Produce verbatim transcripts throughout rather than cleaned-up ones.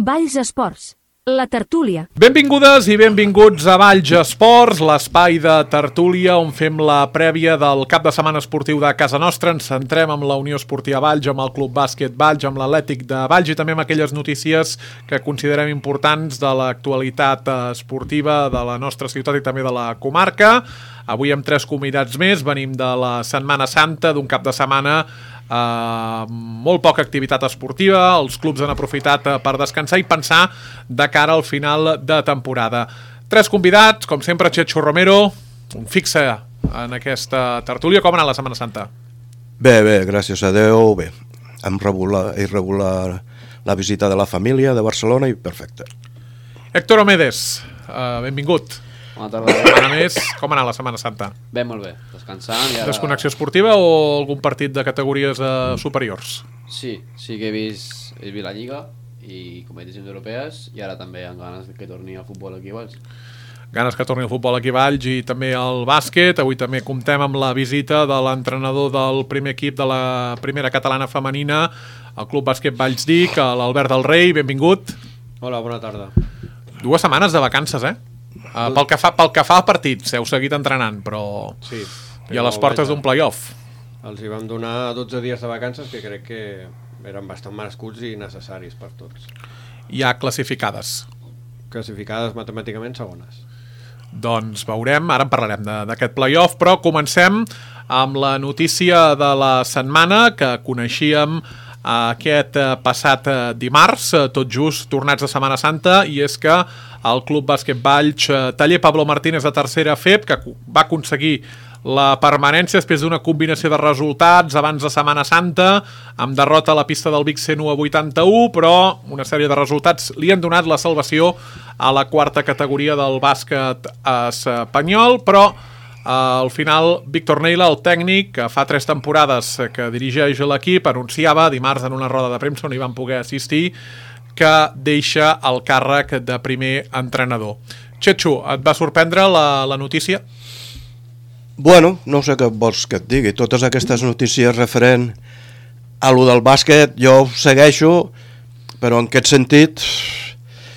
Valls Esports, la tertúlia. Benvingudes i benvinguts a Valls Esports, l'espai de tertúlia on fem la prèvia del cap de setmana esportiu de casa nostra. Ens centrem amb la Unió Esportiva Valls, amb el Club Bàsquet Valls, amb l'Atlètic de Valls i també amb aquelles notícies que considerem importants de l'actualitat esportiva de la nostra ciutat i també de la comarca. Avui amb tres convidats més, venim de la Setmana Santa, d'un cap de setmana Uh, molt poca activitat esportiva. Els clubs han aprofitat uh, per descansar i pensar de cara al final de temporada. Tres convidats, com sempre, Chechu Romero, un fixe en aquesta tertúlia. Com ha anat la Setmana Santa? Bé, bé, gràcies a Déu, bé. Hem rebut la, he rebut la, la visita de la família de Barcelona i perfecte. Héctor Omedes, uh, benvingut. Bona tarda. A més, com ha anat la Setmana Santa? Bé, molt bé, descansant i ara... Desconnexió esportiva o algun partit de categories uh, superiors? Sí, sí que he vist, he vist la Lliga i competicions europees i ara també amb ganes que torni el futbol aquí a Valls. Ganes que torni el futbol aquí a Valls i també el bàsquet. Avui també comptem amb la visita de l'entrenador del primer equip de la primera catalana femenina, el Club Bàsquet Valls Dic, l'Albert del Rei, benvingut. Hola, bona tarda. Dues setmanes de vacances, eh? Uh, pel, que fa, pel que fa a partits, heu seguit entrenant, però sí, i a les portes d'un play-off. Els hi vam donar dotze dies de vacances que crec que eren bastant merescuts i necessaris per tots. Ja classificades. Classificades matemàticament segones. Doncs veurem, ara en parlarem d'aquest play-off, però comencem amb la notícia de la setmana que coneixíem aquest passat dimarts, tot just tornats de Setmana Santa, i és que el Club Bàsquet Valls Taller Pablo Martínez de tercera F E P, que va aconseguir la permanència després d'una combinació de resultats abans de Setmana Santa, amb derrota a la pista del Vic cent u a vuitanta-u, però una sèrie de resultats li han donat la salvació a la quarta categoria del bàsquet espanyol, però al final, Víctor Neila, el tècnic, que fa tres temporades que dirigeix l'equip, anunciava dimarts en una roda de premsa on hi van poder assistir que deixa el càrrec de primer entrenador. Chechu, et va sorprendre la, la notícia? Bueno, no sé què vols que et digui. Totes aquestes notícies referent a lo del bàsquet jo ho segueixo, però en aquest sentit,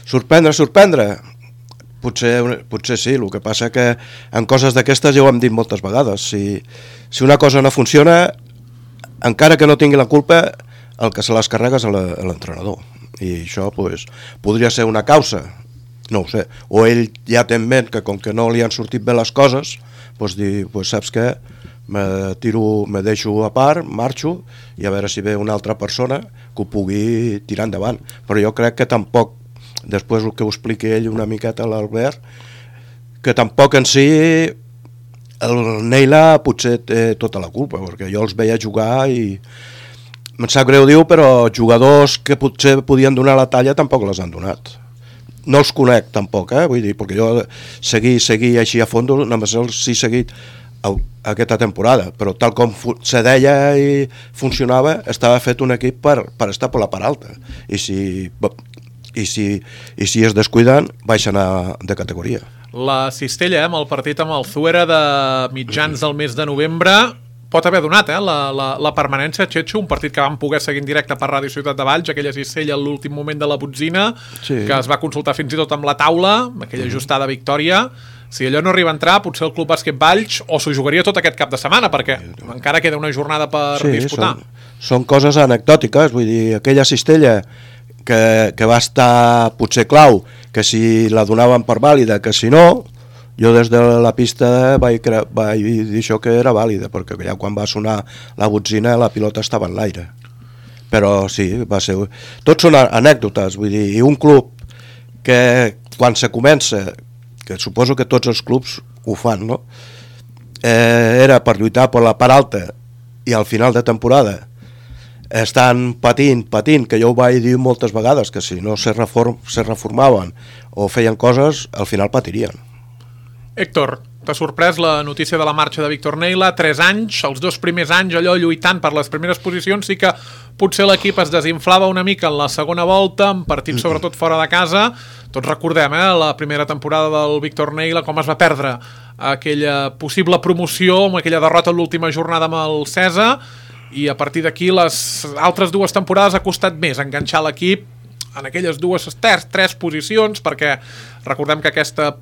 sorprendre, sorprendre... Potser, potser sí, el que passa que en coses d'aquestes ja ho hem dit moltes vegades. Si, si una cosa no funciona, encara que no tingui la culpa, el que se les carrega és l'entrenador. I això pues, podria ser una causa, no ho sé. O ell ja té en ment que com que no li han sortit bé les coses, pues, dir, pues, saps què? Me, tiro, me deixo a part, marxo, i a veure si ve una altra persona que ho pugui tirar endavant. Però jo crec que tampoc, després el que ho expliqui ell una miqueta a l'Albert, que tampoc en si el Neila potser té tota la culpa, perquè jo els veia jugar i em sap greu dir-ho, però jugadors que potser podien donar la talla tampoc les han donat. No els conec tampoc, eh? Vull dir, perquè jo seguir, seguir així a fons, només els he seguit aquesta temporada, però tal com se deia i funcionava, estava fet un equip per, per estar per la part alta, i si... I si, i si es descuiden, baixen a, de categoria. La cistella, eh, amb el partit amb el Zuera de mitjans del mes de novembre, pot haver donat eh, la, la, la permanència, Chechu, un partit que vam poder seguir en directe per Ràdio Ciutat de Valls, aquella cistella a l'últim moment de la botzina, sí, que es va consultar fins i tot amb la taula, aquella ajustada victòria. Si allò no arriba a entrar, potser el Club Bàsquet Valls o s'ho jugaria tot aquest cap de setmana, perquè encara queda una jornada per sí, disputar. Són, són coses anecdòtiques, vull dir, aquella cistella que, que va estar potser clau, que si la donaven per vàlida, que si no, jo des de la pista vaig, vaig dir això que era vàlida, perquè ja quan va sonar la botzina la pilota estava en l'aire. Però sí, va ser... Tots són anècdotes, vull dir, i un club que quan se comença, que suposo que tots els clubs ho fan, no? Eh, era per lluitar per la part alta i al final de temporada estan patint, patint, que jo ho vaig dir moltes vegades, que si no se, reform, se reformaven o feien coses, al final patirien. Héctor, t'ha sorprès la notícia de la marxa de Víctor Neila? Tres anys, els dos primers anys allò lluitant per les primeres posicions, sí que potser l'equip es desinflava una mica en la segona volta, en partits sobretot fora de casa. Tots recordem, eh, la primera temporada del Víctor Neila, com es va perdre aquella possible promoció amb aquella derrota en l'última jornada amb el Cesa, i a partir d'aquí les altres dues temporades ha costat més enganxar l'equip en aquelles dues tres, tres posicions, perquè recordem que aquesta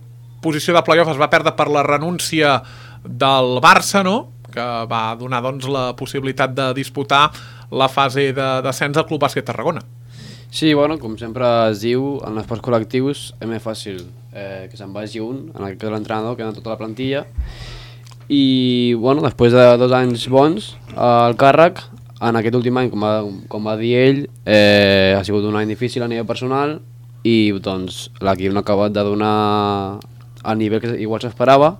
posició de play-off es va perdre per la renúncia del Barça, no?, que va donar doncs, la possibilitat de disputar la fase de descens al Club Bàsquet Tarragona. Sí, bueno, com sempre es diu, en esports col·lectius és més fàcil eh, que se'n vagi un, en aquest cas l'entrenador, que en tota la plantilla, i bueno, després de dos anys bons al càrrec, en aquest últim any, com va, com va dir ell, eh, ha sigut un any difícil a nivell personal i doncs l'equip no ha acabat de donar el nivell que igual s'esperava,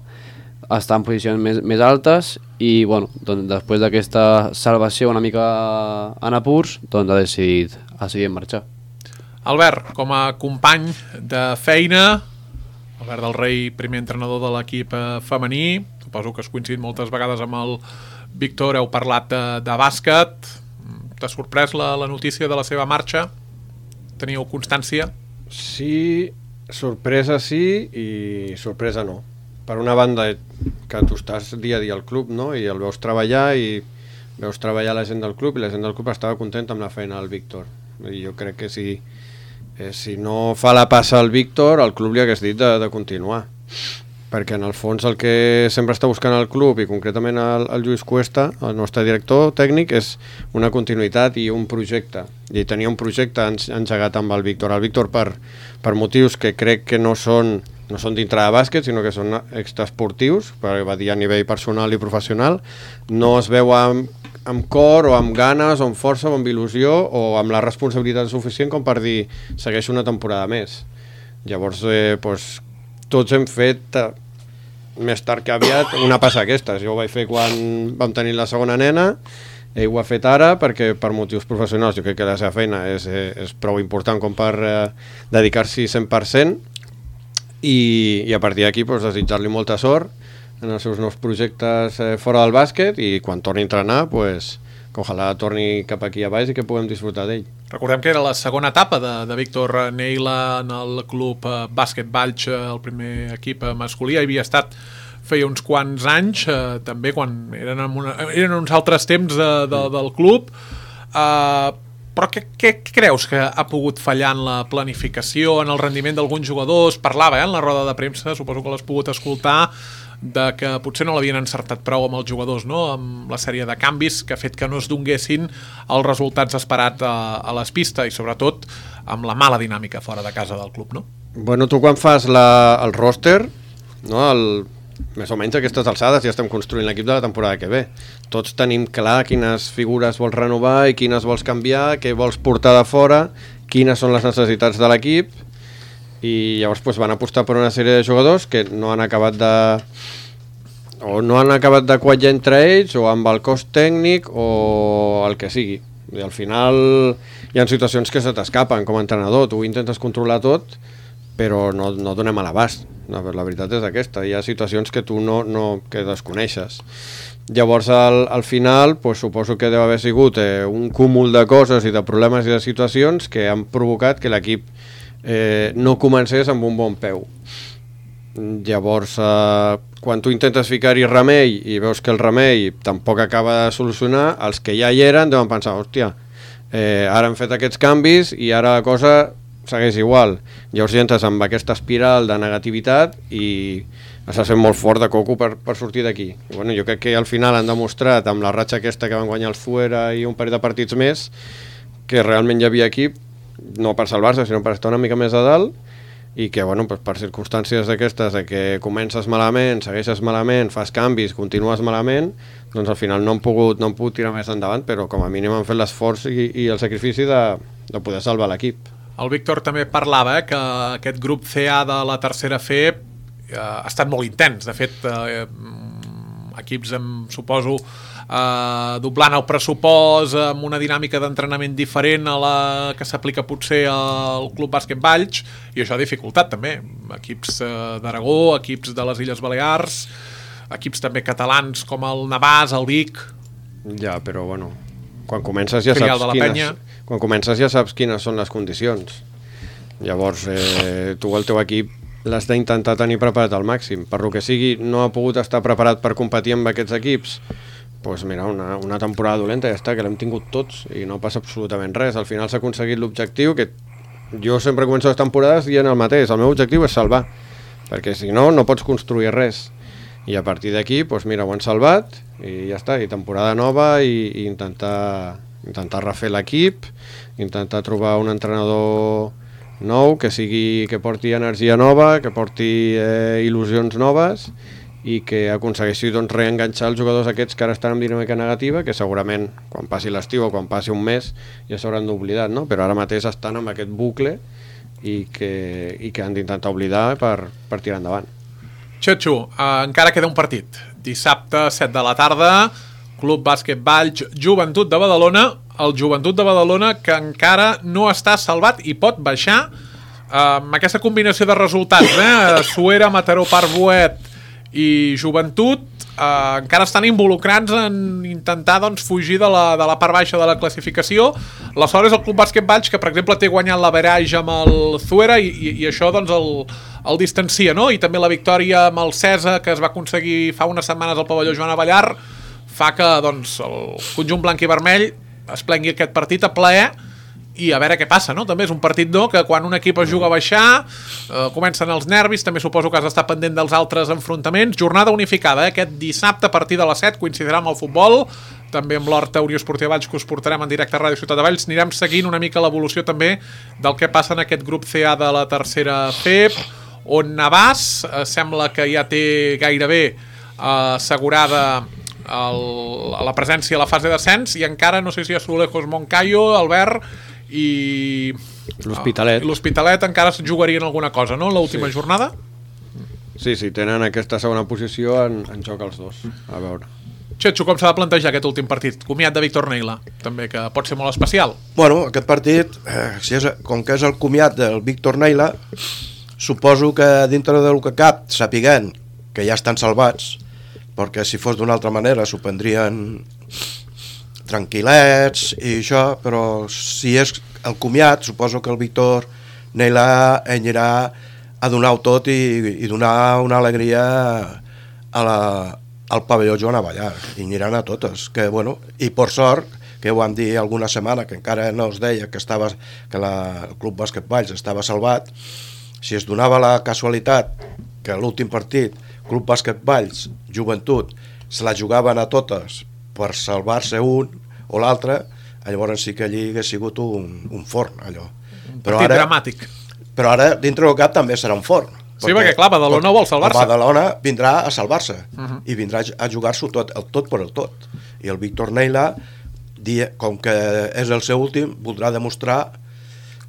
està en posicions més, més altes i bueno, doncs, després d'aquesta salvació una mica en apurs, doncs ha decidit, ha decidit marxar. Albert, com a company de feina, Albert del Rei, primer entrenador de l'equip femení, suposo que has coincidit moltes vegades amb el Víctor, heu parlat de, de bàsquet, t'ha sorprès la, la notícia de la seva marxa? Teniu constància? Sí, sorpresa sí i sorpresa no. Per una banda, que tu estàs dia a dia al club, no?, i el veus treballar i veus treballar la gent del club i la gent del club estava contenta amb la feina del Víctor. I jo crec que si, eh, si no fa la passa al Víctor, el club li hagués dit de, de continuar. Perquè en el fons el que sempre està buscant el club i concretament el, el Lluís Cuesta, el nostre director tècnic, és una continuïtat i un projecte. I tenia un projecte engegat amb el Víctor. El Víctor per, per motius que crec que no són no són dintre de bàsquet, sinó que són extraesportius, perquè va dir a nivell personal i professional, no es veu amb, amb cor o amb ganes o amb força o amb il·lusió o amb la responsabilitat suficient com per dir segueixo una temporada més. Llavors, eh, doncs, tots hem fet eh, més tard que aviat una passa aquestes. Jo ho vaig fer quan vam tenir la segona nena, ell ho ha fet ara perquè per motius professionals jo crec que la seva feina és, eh, és prou important com per eh, dedicar-s'hi cent per cent. I, i a partir d'aquí doncs, desitjar-li molta sort en els seus nous projectes eh, fora del bàsquet i quan torni a entrenar pues, que ojalà torni cap aquí a baix i que puguem disfrutar d'ell. Recordem que era la segona etapa de, de Víctor Neila en el club eh, Bàsquet Valls, eh, el primer equip eh, masculí, havia estat feia uns quants anys, eh, també quan eren, en una, eren uns altres temps de, de, del club. eh, Però què, què creus que ha pogut fallar en la planificació, en el rendiment d'alguns jugadors? Parlava eh, en la roda de premsa, suposo que l'has pogut escoltar, de que potser no l'havien encertat prou amb els jugadors, no?, amb la sèrie de canvis que ha fet que no es donguessin els resultats esperats a, a les pistes i sobretot amb la mala dinàmica fora de casa del club, no? Bueno, tu quan fas la, el roster, no, el, més o menys a aquestes alçades ja estem construint l'equip de la temporada que ve. Tots tenim clar quines figures vols renovar i quines vols canviar, què vols portar de fora, quines són les necessitats de l'equip i llavors doncs, van apostar per una sèrie de jugadors que no han acabat de o no han acabat de quallar entre ells o amb el cost tècnic o el que sigui. I al final hi ha situacions que se t'escapen com a entrenador, tu intentes controlar tot però no, no donem a l'abast. No, la veritat és aquesta, hi ha situacions que tu no, no que desconeixes. Llavors al, al final pues, suposo que deu haver sigut eh, un cúmul de coses i de problemes i de situacions que han provocat que l'equip eh, no comencés amb un bon peu. Llavors eh, quan tu intentes ficar-hi remei i veus que el remei tampoc acaba de solucionar, els que ja hi eren deuen pensar, hòstia, eh, ara hem fet aquests canvis i ara la cosa segueix igual. Llavors ja entres amb aquesta espiral de negativitat i estàs fent molt fort de coco per, per sortir d'aquí. Bueno, jo crec que al final han demostrat amb la ratxa aquesta que van guanyar el Fuera i un parell de partits més que realment hi havia equip no per salvar-se sinó per estar una mica més a dalt i que bueno, pues, per circumstàncies d'aquestes de que comences malament, segueixes malament, fas canvis, continues malament, doncs al final no han pogut, no han pogut tirar més endavant, però com a mínim han fet l'esforç i, i el sacrifici de, de poder salvar l'equip. El Víctor també parlava eh, que aquest grup C A de la tercera F eh, ha estat molt intens. De fet, eh, equips, em suposo, eh, doblant el pressupost, amb una dinàmica d'entrenament diferent a la que s'aplica potser al Club Bàsquet Valls, i això ha dificultat també. Equips eh, d'Aragó, equips de les Illes Balears, equips també catalans com el Navàs, el Vic... Ja, però bueno, quan comences ja saps quines... Quan comences ja saps quines són les condicions. Llavors, eh, tu el teu equip l'has d'intentar tenir preparat al màxim. Per lo que sigui, no ha pogut estar preparat per competir amb aquests equips. Doncs pues mira, una, una temporada dolenta ja està, que l'hem tingut tots i no passa absolutament res. Al final s'ha aconseguit l'objectiu, que jo sempre començo les temporades dient el mateix, el meu objectiu és salvar, perquè si no, no pots construir res. I a partir d'aquí, doncs mira, ho han salvat i ja està, i temporada nova i, i intentar, intentar refer l'equip, intentar trobar un entrenador nou que sigui, que porti energia nova, que porti eh, il·lusions noves i que aconsegueixi doncs, reenganxar els jugadors aquests que ara estan en dinàmica negativa, que segurament quan passi l'estiu o quan passi un mes ja s'hauran d'oblidat, no? Però ara mateix estan en aquest bucle i que, i que han d'intentar oblidar per, per tirar endavant. Xetxo, eh, encara queda un partit. Dissabte, set de la tarda, Club Bàsquet Valls, Joventut de Badalona, el Joventut de Badalona que encara no està salvat i pot baixar eh, amb aquesta combinació de resultats, eh? Suera, Mataró, Parc-Boet i Joventut eh, encara estan involucrats en intentar doncs, fugir de la, de la part baixa de la classificació. Aleshores el Club Bàsquet Valls, que per exemple té guanyat l'average amb el Suera i, i, i això doncs el, el distancia, no? I també la victòria amb el Cesa que es va aconseguir fa unes setmanes al pavelló Joan Avellar fa que doncs, el conjunt blanc i vermell es plengui aquest partit a plaer i a veure què passa, no? També és un partit no, que quan un equip es juga a baixar eh, comencen els nervis, també suposo que has d'estar pendent dels altres enfrontaments. Jornada unificada, eh? Aquest dissabte a partir de les set coincidirà amb el futbol, també amb l'Horta Unió Esportiva Valls que us portarem en directe a Ràdio Ciutat de Valls. Anirem seguint una mica l'evolució també del que passa en aquest grup C A de la tercera F E P, on Navàs eh, sembla que ja té gairebé eh, assegurada el, la presència a la fase d'ascens i encara no sé si Azulejos Moncayo, Albert i l'Hospitalet uh, l'Hospitalet encara es jugarien alguna cosa, no? L'última sí. jornada? Sí, sí, tenen aquesta segona posició en, en joc els dos. A veure. Xetxo, com s'ha de plantejar aquest últim partit? Comiat de Víctor Neila, també, que pot ser molt especial. Bueno, aquest partit, eh, si és, com que és el comiat del Víctor Neila, suposo que dintre del que cap, sapiguent que ja estan salvats, perquè si fos d'una altra manera s'ho prendrien tranquil·lets i això, però si és el comiat, suposo que el Víctor Neila anirà a donar-ho tot i, i donar una alegria a la, al pavelló Joan Avellar, i aniran a totes, que bueno, i per sort, que ho vam dir alguna setmana, que encara no es deia que, estava, que la, el Club Bàsquet Valls estava salvat, si es donava la casualitat que l'últim partit, Club Bàsquet Valls, Joventut, se la jugaven a totes per salvar-se un o l'altre, llavors sí que allí hagués sigut un, un forn, allò. Un però partit ara, dramàtic. Però ara, dintre del cap, també serà un forn. Sí, perquè, clar, Badalona vol salvar-se. Badalona vindrà a salvar-se, uh Mhm. -huh. i vindrà a jugar-s'ho tot, el tot per el tot. I el Víctor Neila, com que és el seu últim, voldrà demostrar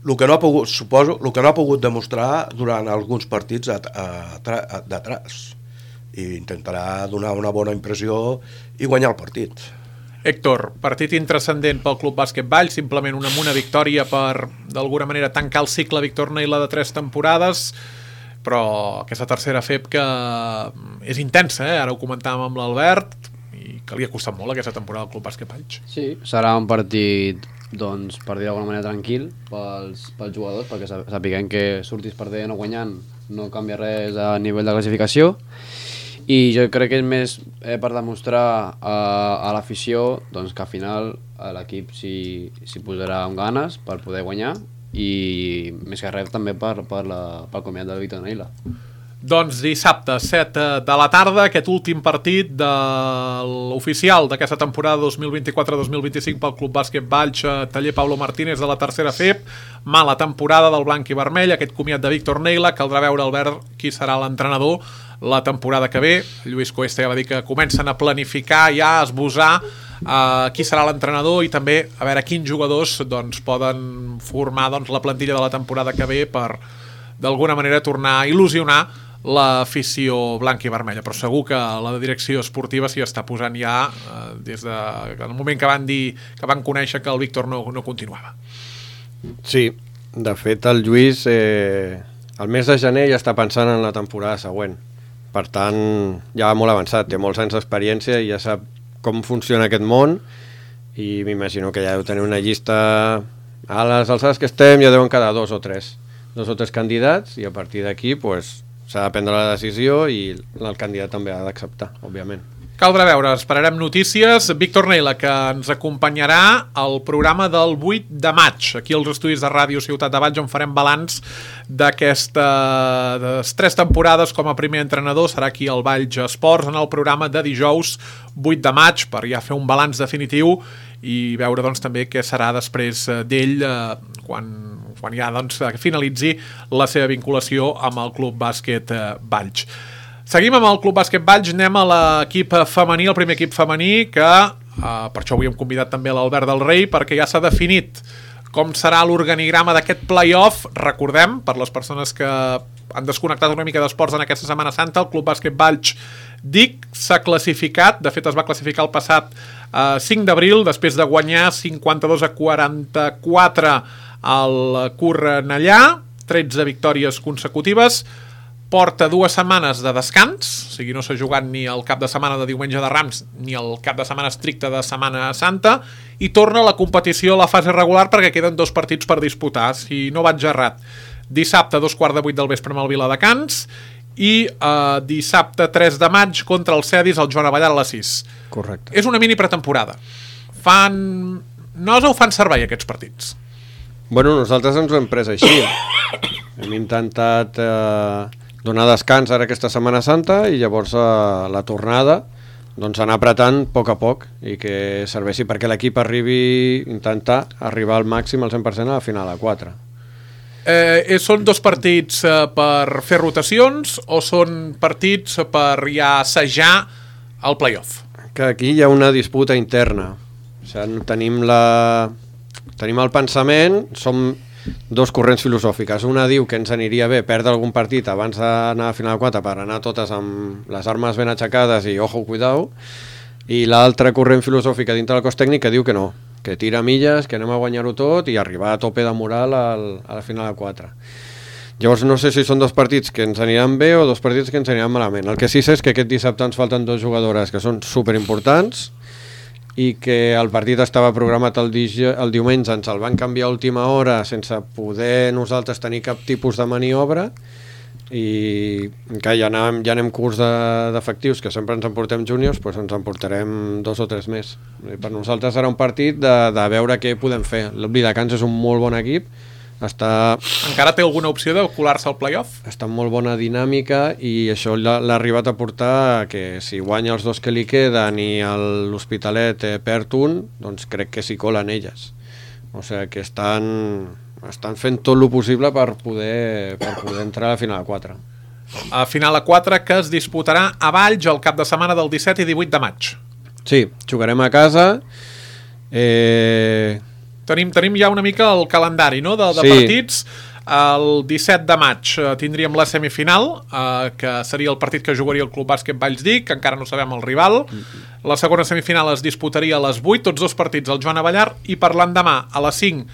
el que no ha pogut, suposo, el que no ha pogut demostrar durant alguns partits d'atrás. I intentarà donar una bona impressió i guanyar el partit. Héctor, partit intrascendent pel Club Bàsquet Valls, simplement una, una victòria per, d'alguna manera, tancar el cicle Víctor Neila de tres temporades, però aquesta tercera F E P que és intensa, eh? Ara ho comentàvem amb l'Albert, i que li ha costat molt aquesta temporada al Club Bàsquet Valls. Sí, serà un partit, doncs, per dir d'alguna manera tranquil pels, pels jugadors, perquè sapiguem que surtis perdent o guanyant no canvia res a nivell de classificació, i jo crec que és més eh, per demostrar a, a l'afició doncs, que al final l'equip s'hi posarà amb ganes per poder guanyar i més que res també per, per la, pel comiat del Víctor Neila. Doncs dissabte, set de la tarda, aquest últim partit de l'oficial d'aquesta temporada dos mil vint-i-quatre dos mil vint-i-cinc pel Club Bàsquet Valls, taller Pablo Martínez de la tercera F E P, mala temporada del blanc i vermell, aquest comiat de Víctor Neila, caldrà veure, Albert, qui serà l'entrenador la temporada que ve. Lluís Cuesta ja va dir que comencen a planificar, ja a esbossar uh, qui serà l'entrenador i també a veure quins jugadors doncs, poden formar doncs, la plantilla de la temporada que ve per d'alguna manera tornar a il·lusionar l'afició blanca i vermella, però segur que la direcció esportiva s'hi està posant ja eh, des del moment que van dir que van conèixer que el Víctor no, no continuava. Sí, de fet el Lluís eh, el mes de gener ja està pensant en la temporada següent, per tant ja va molt avançat, té molts anys d'experiència i ja sap com funciona aquest món i m'imagino que ja deu tenir una llista a les alçades que estem, ja deuen quedar dos o tres dos o tres candidats i a partir d'aquí pues, s'ha de prendre la decisió i el candidat també ha d'acceptar, òbviament. Caldrà veure, esperarem notícies. Víctor Neila, que ens acompanyarà al programa del vuit de maig, aquí als estudis de Ràdio Ciutat de Valls, on farem balanç d'aquestes tres temporades com a primer entrenador. Serà aquí al Valls Esports, en el programa de dijous vuit de maig, per ja fer un balanç definitiu i veure doncs, també què serà després d'ell eh, quan, quan ja doncs, finalitzi la seva vinculació amb el Club Bàsquet eh, Valls. Seguim amb el Club Bàsquet Valls, anem a l'equip femení, el primer equip femení, que eh, per això avui hem convidat també l'Albert del Rei, perquè ja s'ha definit com serà l'organigrama d'aquest play-off. Recordem, per les persones que han desconnectat una mica d'esports en aquesta Setmana Santa, el Club Bàsquet Valls D I C s'ha classificat, de fet es va classificar el passat eh, cinc d'abril, després de guanyar cinquanta-dos a quaranta-quatre al Cornellà, tretze victòries consecutives. Porta dues setmanes de descans, o sigui, no s'ha jugat ni el cap de setmana de diumenge de Rams ni el cap de setmana estricte de Setmana Santa, i torna a la competició a la fase regular perquè queden dos partits per disputar, si no vaig errat. Dissabte, dos quarts de vuit del vespre amb el Viladecans, i eh, dissabte tres de maig contra el Cedis al Joan Abellar a les sis. Correcte. És una mini pretemporada. Fan... nosa o fan servei aquests partits? Bueno, nosaltres ens ho hem pres així. Hem intentat... Eh... donar descans ara aquesta Setmana Santa i llavors a la tornada doncs anar apretant a poc a poc i que serveixi perquè l'equip arribi, intentar arribar al màxim al cent per cent a la final a quatre. Eh, són dos partits eh, per fer rotacions o són partits per ja assajar el play-off? Que aquí hi ha una disputa interna. O sigui, tenim la... tenim el pensament, som dos corrents filosòfiques. Una diu que ens aniria bé perdre algun partit abans d'anar a final quatre per anar totes amb les armes ben aixecades i ojo, cuidao, i l'altra corrent filosòfica dintre del cos tècnic que diu que no, que tira milles, que anem a guanyar-ho tot i arribar a tope de moral al, a la final de quatre. Llavors no sé si són dos partits que ens aniran bé o dos partits que ens aniran malament. El que sí sé és que aquest dissabte ens falten dos jugadores que són superimportants i que el partit estava programat el, di el diumenge, ens el van canviar a última hora sense poder nosaltres tenir cap tipus de maniobra i que ja anem, ja anem curs d'efectius, de, que sempre ens emportem júniors, doncs ens emportarem dos o tres més. I per nosaltres serà un partit de, de veure què podem fer. El Viladecans és un molt bon equip, està... Encara té alguna opció de colar-se al play-off? Està en molt bona dinàmica i això l'ha arribat a portar que si guanya els dos que li queden i l'Hospitalet eh, perd un, doncs crec que s'hi colen elles. O sigui que estan, estan fent tot el possible per poder, per poder entrar a la final a quatre. A final a quatre que es disputarà a Valls el cap de setmana del disset i divuit de maig. Sí, jugarem a casa. Eh... Tenim, tenim ja una mica el calendari, no?, de, de sí. partits. El disset de maig eh, tindríem la semifinal, eh, que seria el partit que jugaria el Club Bàsquet Valls D I C, que encara no sabem el rival. La segona semifinal es disputaria a les vuit, tots dos partits al Joan Abellar, i per l'endemà a les cinc,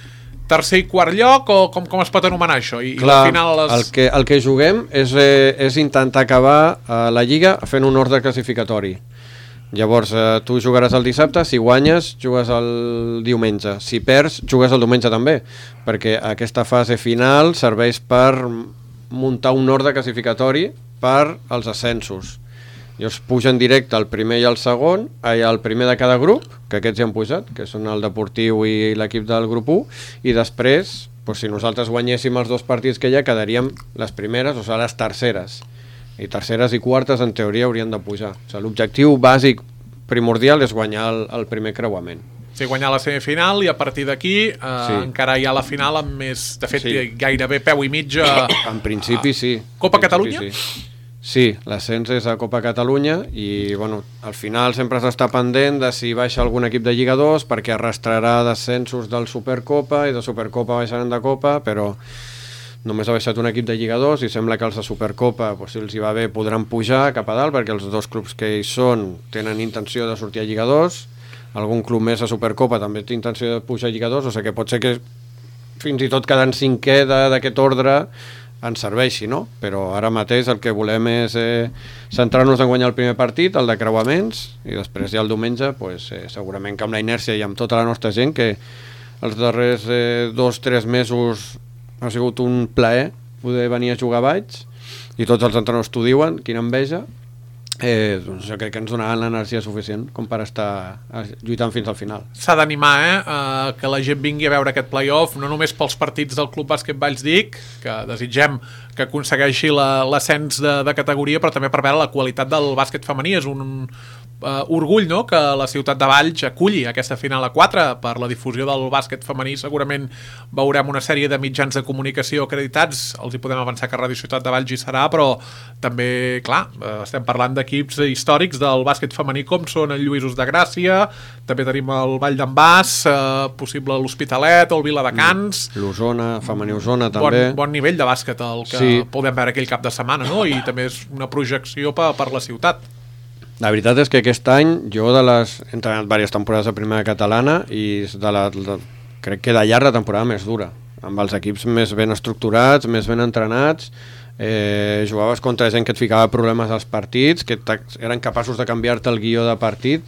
tercer i quart lloc, o com, com es pot anomenar això? I, Clar, i la final a les... el, que, el que juguem és, eh, és intentar acabar eh, la Lliga fent un ordre classificatori. Llavors, eh, tu jugaràs el dissabte, si guanyes, jugues el diumenge. Si perds, jugues el diumenge també, perquè aquesta fase final serveix per muntar un ordre classificatori per als ascensos. Llavors pugen directe el primer i el segon, el primer de cada grup, que aquests ja han pujat, que són el Deportiu i l'equip del grup u, i després, doncs, si nosaltres guanyéssim els dos partits que hi ha, quedaríem les primeres, o sigui, les terceres. I terceres i quartes en teoria haurien de pujar. O sigui, l'objectiu bàsic primordial és guanyar el, el primer creuament. Sí, guanyar la semifinal i a partir d'aquí eh, sí. encara hi ha la final amb més, de fet, sí. gairebé peu i mig a... En principi sí. Copa principi, Catalunya? Sí, sí, l'ascens és a Copa Catalunya i bueno, al final sempre s'està pendent de si baixa algun equip de Lliga dos perquè arrastrarà descensos del Supercopa i de Supercopa baixaran de Copa, però només ha baixat un equip de Lliga dos i sembla que els de Supercopa, doncs, si els hi va bé, podran pujar cap a dalt, perquè els dos clubs que hi són tenen intenció de sortir a Lliga dos, algun club més a Supercopa també té intenció de pujar a Lliga dos, o sigui que pot ser que fins i tot quedant cinquè d'aquest ordre ens serveixi, no? Però ara mateix el que volem és eh, centrar-nos en guanyar el primer partit, el de creuaments, i després ja el diumenge, pues, eh, segurament que amb la inèrcia i amb tota la nostra gent, que els darrers eh, dos o tres mesos ha sigut un plaer poder venir a jugar a Valls i tots els entrenadors t'ho diuen, quina enveja, eh, doncs jo crec que ens donaran l'energia suficient com per estar lluitant fins al final. S'ha d'animar, eh? Uh, que la gent vingui a veure aquest play-off, no només pels partits del Club Bàsquet Vallsdic, que desitgem que aconsegueixi l'ascens de, de categoria, però també per veure la qualitat del bàsquet femení. És un uh, orgull, no?, que la ciutat de Valls aculli aquesta final a quatre per la difusió del bàsquet femení. Segurament veurem una sèrie de mitjans de comunicació acreditats, els hi podem avançar que Radio Ciutat de Valls hi serà, però també, clar, estem parlant d'equips històrics del bàsquet femení com són el Lluïsos de Gràcia, també tenim el Vall d'en Bas, eh, possible l'Hospitalet o el Viladecans. L'Osona, femení Osona també. Bon, bon nivell de bàsquet el que sí. podem veure aquell cap de setmana, no? I també és una projecció per, per la ciutat. La veritat és que aquest any jo de les, he entrenat diverses temporades de primera catalana i de la, de, crec que de llarg la temporada més dura, amb els equips més ben estructurats, més ben entrenats. Eh, jugaves contra gent que et ficava problemes als partits, que eren capaços de canviar-te el guió de partit,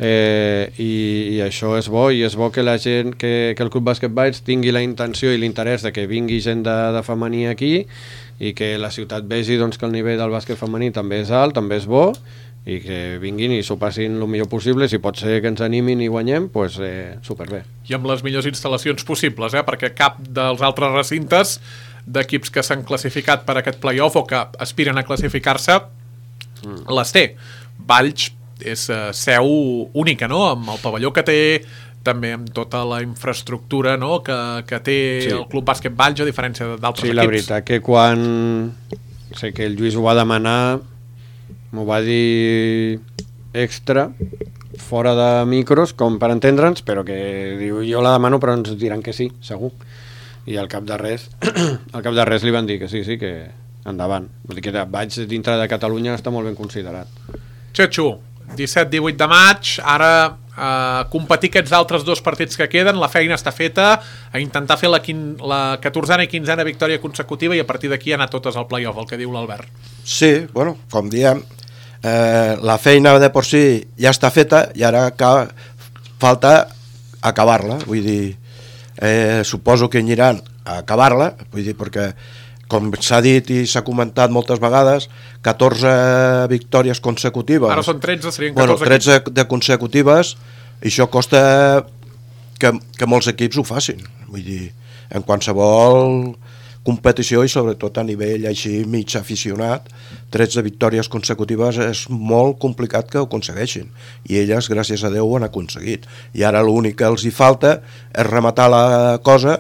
eh, i, i això és bo, i és bo que la gent, que, que el Club Bàsquet Valls tingui la intenció i l'interès de que vingui gent de, de femení aquí i que la ciutat vegi doncs, que el nivell del bàsquet femení també és alt, també és bo, i que vinguin i s'ho passin el millor possible. Si pot ser que ens animin i guanyem, doncs eh, superbé. I amb les millors instal·lacions possibles, eh? Perquè cap dels altres recintes d'equips que s'han classificat per aquest play-off o que aspiren a classificar-se mm. les té. Valls és uh, seu única, no?, amb el pavelló que té, també amb tota la infraestructura, no?, que, que té sí. el Club Bàsquet Valls, a diferència d'altres sí, equips. Sí, la veritat que quan sé que el Lluís ho va demanar, m'ho va dir extra, fora de micros, com per entendre'ns, però que diu, jo la demano però ens diran que sí, segur. I al cap de res al cap de res li van dir que sí, sí, que endavant. Vull dir que vaig dintre de Catalunya està molt ben considerat. Xetxo, disset divuit de maig, ara eh, competir aquests altres dos partits que queden, la feina està feta, a intentar fer la, quin, la catorzena i quinzena victòria consecutiva i a partir d'aquí anar totes al play-off, el que diu l'Albert. Sí, bueno, com diem, eh, la feina de por si ja està feta i ara cal, falta acabar-la, vull dir, Eh, suposo que aniran a acabar-la, vull dir, perquè com s'ha dit i s'ha comentat moltes vegades, catorze victòries consecutives. Ara són tretze, serien bueno, catorze. tretze de consecutives, i això costa que, que molts equips ho facin. Vull dir, en qualsevol competició i sobretot a nivell així mig aficionat, tretze victòries consecutives és molt complicat que ho aconsegueixin, i elles, gràcies a Déu, ho han aconseguit. I ara l'únic que els hi falta és rematar la cosa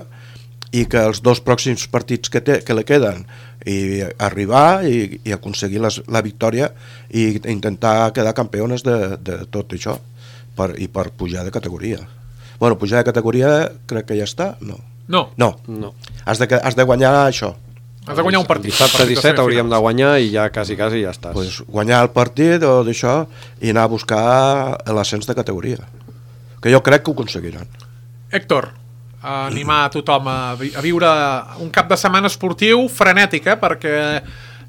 i que els dos pròxims partits que, té, que li queden i arribar i, i aconseguir les, la victòria i intentar quedar campeones de, de tot això per, i per pujar de categoria. Bueno, pujar de categoria crec que ja està, no? No. No. No. Has de, has de guanyar això. Has de guanyar un partit. Dissabte disset hauríem de guanyar i ja quasi, quasi ja estàs. Pues guanyar el partit o d'això i anar a buscar l'ascens de categoria. Que jo crec que ho aconseguiran. Héctor, animar a tothom a, vi a viure un cap de setmana esportiu frenètic, eh? Perquè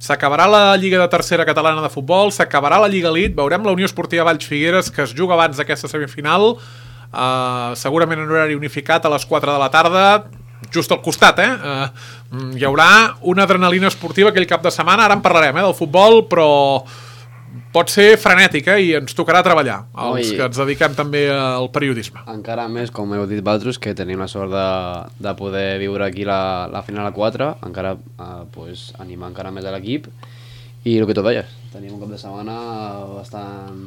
s'acabarà la Lliga de Tercera Catalana de Futbol, s'acabarà la Lliga Elite, veurem la Unió Esportiva Valls Figueres, que es juga abans d'aquesta semifinal, uh, segurament en horari unificat a les quatre de la tarda, just al costat, eh? Uh, hi haurà una adrenalina esportiva aquell cap de setmana, ara en parlarem, eh, del futbol, però pot ser frenètic, eh? I ens tocarà treballar, els Oi. que ens dediquem també al periodisme. Encara més, com heu dit vosaltres, que tenim la sort de, de poder viure aquí la, la final a quatre, encara eh, pues, animar encara més a l'equip, i el que tu deies, tenim un cap de setmana bastant...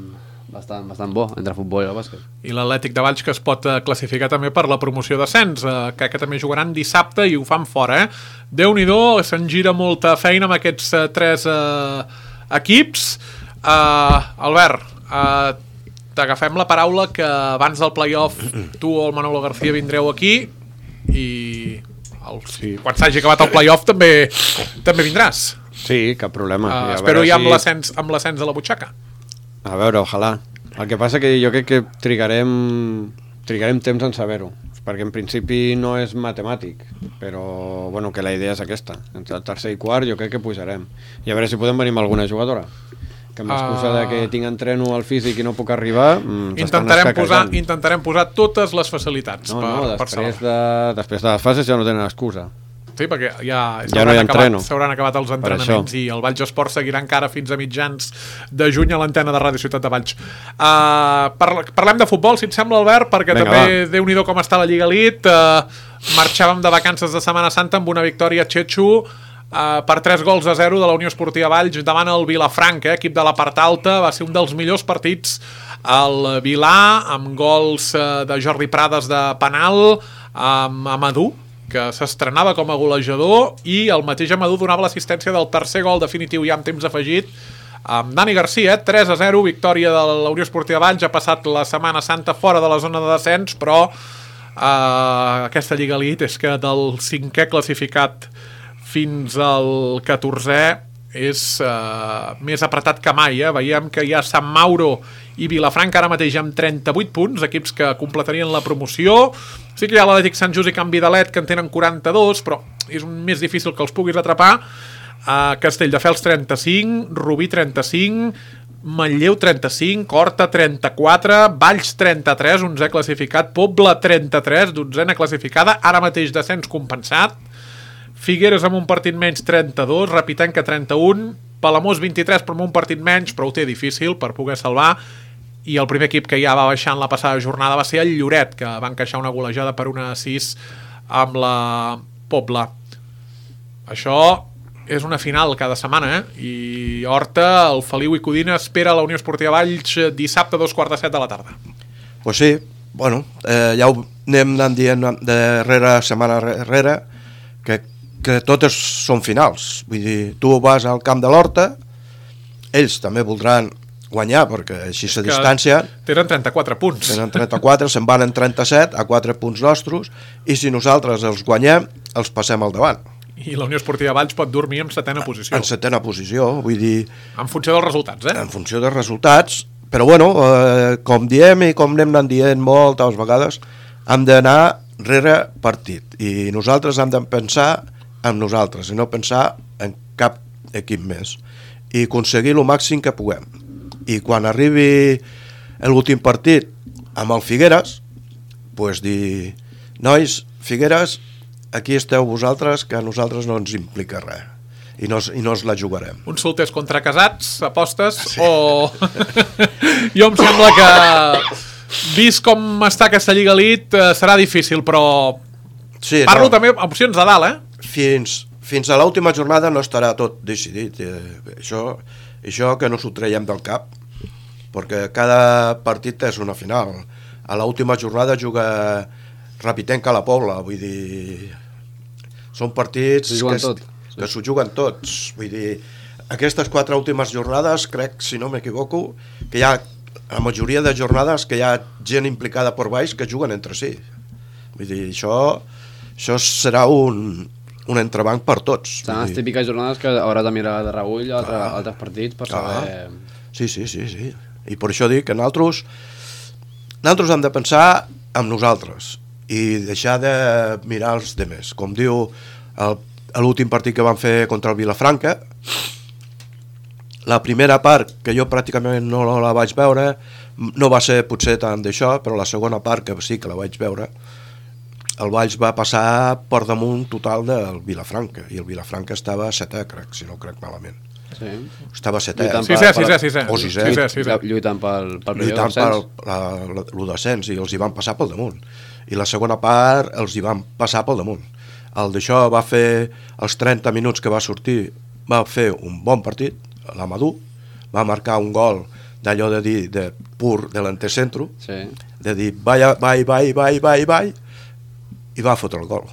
Bastant, bastant bo entre futbol i el bàsquet. I l'Atlètic de Valls, que es pot uh, classificar també per la promoció d'ascens, uh, que, que també jugaran dissabte i ho fan fora, eh? Déu-n'hi-do, se'n gira molta feina amb aquests uh, tres uh, equips. Uh, Albert, uh, t'agafem la paraula que abans del play-off tu o el Manolo García vindreu aquí i el, sí. quan s'hagi acabat el play-off també, també vindràs. Sí, cap problema. Uh, I espero ja si... amb l'ascens a la butxaca. A veure, ojalà. El que passa que jo crec que trigarem, trigarem temps en saber-ho, perquè en principi no és matemàtic, però bueno, que la idea és aquesta. Entre el tercer i quart jo crec que pujarem. I a veure si podem venir amb alguna jugadora. Que amb l'excusa uh... de que tinc entreno al físic i no puc arribar, mm, intentarem posar, intentarem posar totes les facilitats. No, per, no, després, per de, després de les fases ja no tenen excusa. Sí, perquè ja, ja no hi ha entreno. S'hauran acabat els entrenaments i el Valls Esport seguirà encara fins a mitjans de juny a l'antena de Ràdio Ciutat de Valls. Uh, par parlem de futbol, si et sembla, Albert, perquè Venga, també va. Déu-n'hi-do com està la Lliga Elite. Uh, marxàvem de vacances de Setmana Santa amb una victòria Txetxo uh, per tres gols a zero de la Unió Esportiva Valls davant el Vilafranca, eh, equip de la part alta. Va ser un dels millors partits al Vilà, amb gols uh, de Jordi Prades de penal, amb Amadou, que s'estrenava com a golejador, i el mateix Amadou donava l'assistència del tercer gol definitiu ja amb temps afegit amb Dani Garcia, tres a zero, victòria de la Unió Esportiva Valls. Ha passat la Setmana Santa fora de la zona de descens, però eh, aquesta Lliga Elite és que del cinquè classificat fins al catorzè és eh, més apretat que mai. Eh? Veiem que hi ha Sant Mauro i Vilafranca ara mateix amb trenta-vuit punts, equips que completarien la promoció. Sí que hi ha l'Atlètic Sant Just i Can Vidalet, que en tenen quaranta-dos, però és més difícil que els puguis atrapar. Uh, Castelldefels trenta-cinc, Rubí trenta-cinc, Manlleu trenta-cinc, Horta trenta-quatre, Valls trenta-tres, onzè classificat, Pobla trenta-tres, dotzena classificada, ara mateix descens compensat, Figueres amb un partit menys trenta-dos, Rapitenca trenta-un, Palamós vint-i-tres però amb un partit menys, però ho té difícil per poder salvar, i el primer equip que ja va baixar en la passada jornada va ser el Lloret, que va encaixar una golejada per una a sis amb la Pobla. Això és una final cada setmana, eh? I Horta, el Feliu i Codina espera la Unió Esportiva Valls dissabte a dos quarts de set de la tarda. Pues sí, bueno, eh, ja ho anem anant dient darrere, setmana darrere, que, que totes són finals. Vull dir, tu vas al camp de l'Horta, ells també voldran guanyar, perquè així la distància... Tenen trenta-quatre punts. Tenen trenta-quatre, se'n van en trenta-set, a quatre punts nostres, i si nosaltres els guanyem, els passem al davant. I la Unió Esportiva Valls pot dormir en setena posició. En setena posició, vull dir... En funció dels resultats, eh? En funció dels resultats, però bueno, eh, com diem i com anem anant dient moltes vegades, hem d'anar rere partit, i nosaltres hem de pensar en nosaltres, i no pensar en cap equip més, i aconseguir el màxim que puguem. I quan arribi l'últim partit amb el Figueres, pues dir, nois, Figueres, aquí esteu vosaltres, que a nosaltres no ens implica res, i no, i no ens la jugarem. Uns solters contra casats, apostes, sí. O... Jo em sembla que, vist com està aquesta Lliga Elite, serà difícil, però sí, parlo no. També opcions de dalt, eh? Fins, fins a l'última jornada no estarà tot decidit, eh, això... Això que no s'ho traiem del cap, perquè cada partit és una final. A l'última jornada juga Rapitenca a la Pobla, vull dir... Són partits que, tot. que s'ho juguen tots. Vull dir, aquestes quatre últimes jornades, crec, si no m'equivoco, que hi ha la majoria de jornades que hi ha gent implicada per baix que juguen entre si. Vull dir, això, això serà un... un entrebanc per tots. Són les típiques jornades que hauràs de mirar de reüll a altre, ah, altres partits per saber... Ah, sí, sí, sí, sí. I per això dic que nosaltres, nosaltres hem de pensar en nosaltres i deixar de mirar els demés. Com diu l'últim partit que van fer contra el Vilafranca, la primera part, que jo pràcticament no la vaig veure, no va ser potser tant d'això, però la segona part, que sí que la vaig veure, el Valls va passar per damunt total del Vilafranca, i el Vilafranca estava a setè, crec, si no crec malament. Sí. Estava a setè. Sisè, sisè, sisè. O sisè. Sisè, sisè. Lluitant pel, pel Lluitant pel el descens, i els hi van passar pel damunt. I la segona part els hi van passar pel damunt. El d'això va fer els trenta minuts que va sortir, va fer un bon partit, l'Amadou, va marcar un gol d'allò de dir, de pur delantecentro, sí. De dir, vai, vai, vai, vai, vai, vai, i va fotre el gol.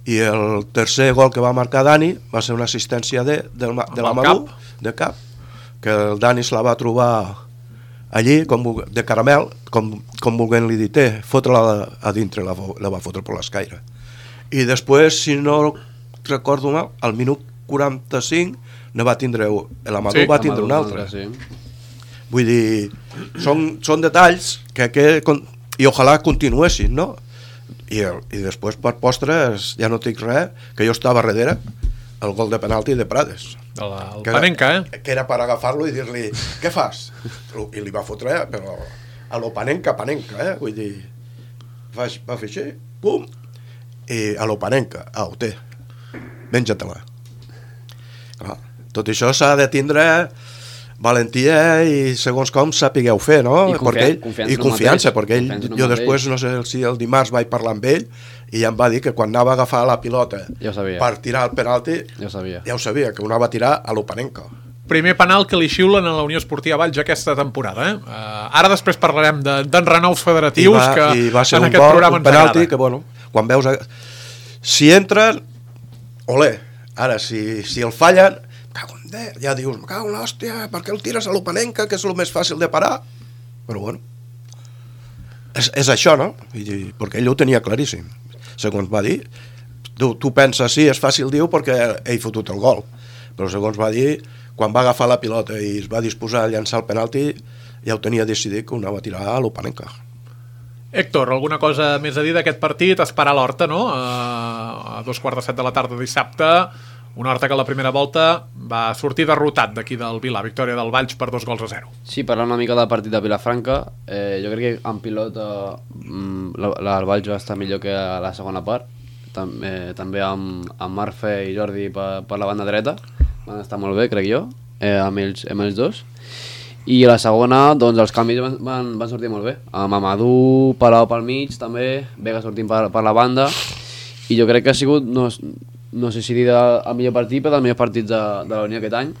I el tercer gol que va marcar Dani va ser una assistència de, de, de l'Amadou, de cap, que el Dani se la va trobar allí, com, de caramel, com, com volent-li dir, té, fotre-la a dintre, la, la va fotre per l'escaire. I després, si no recordo mal, al minut quaranta-cinc no va tindre, l'Amadou sí, va tindre un altre. Sí. Vull dir, són, són detalls que, que, i ojalà continuessin, no? I, i després per postres ja no dic res, que jo estava darrere el gol de penalti de Prades, el, el que, Panenka, eh? Que era per agafar-lo i dir-li, què fas? I li va fotre, però a lo Panenka, Panenka, eh? Vull dir, va, va fer així, pum, i a lo Panenka, ah, ho té, menja-te-la. Clar, tot això s'ha de tindre valentia i segons com sapigueu fer, no? I, confia perquè ell, confiança, i confiança mateix, perquè ell, confiança jo després, no sé si el dimarts vaig parlar amb ell i ja em va dir que quan anava a agafar la pilota ja per tirar el penalti, ja ho sabia, ja ho sabia, que ho anava a tirar a l'Opanenca. Primer penal que li xiulen a la Unió Esportiva Valls aquesta temporada. Eh? Uh, ara després parlarem d'enrenaus de, federatius I va, que i va ser en un aquest gol, programa un ens penalti agrada. que, bueno, quan veus... A... Si entren, olé. Ara, si, si el fallen, cago en Déu, ja dius, me cago en l'hòstia, per què el tires a l'Opanenca, que és el més fàcil de parar? Però, bueno, és, és això, no? I, perquè ell ho tenia claríssim. Segons va dir, tu, tu penses, sí, és fàcil, diu, perquè ell fotut el gol. Però segons va dir, quan va agafar la pilota i es va disposar a llançar el penalti, ja ho tenia decidit que ho anava a tirar a l'Opanenca. Héctor, alguna cosa més a dir d'aquest partit? Esperar l'Horta, no? A dos quarts de set de la tarda dissabte, una Horta que a la primera volta va sortir derrotat d'aquí del Vila, victòria del Valls per dos gols a zero. Sí, parlant una mica del partit de Vilafranca, eh, jo crec que en pilota mm, la, la, el Valls va estar millor que a la segona part, Tam, eh, també amb, amb Marfe i Jordi per, per la banda dreta, van estar molt bé, crec jo, eh, amb, ells, amb ells dos. I a la segona, doncs els canvis van, van, van sortir molt bé, amb Amadou, Palau pel mig també, Vega sortint per, per la banda, i jo crec que ha sigut, no, no sé si dir el millor partit, però dels millors partits de, de la Unió aquest any,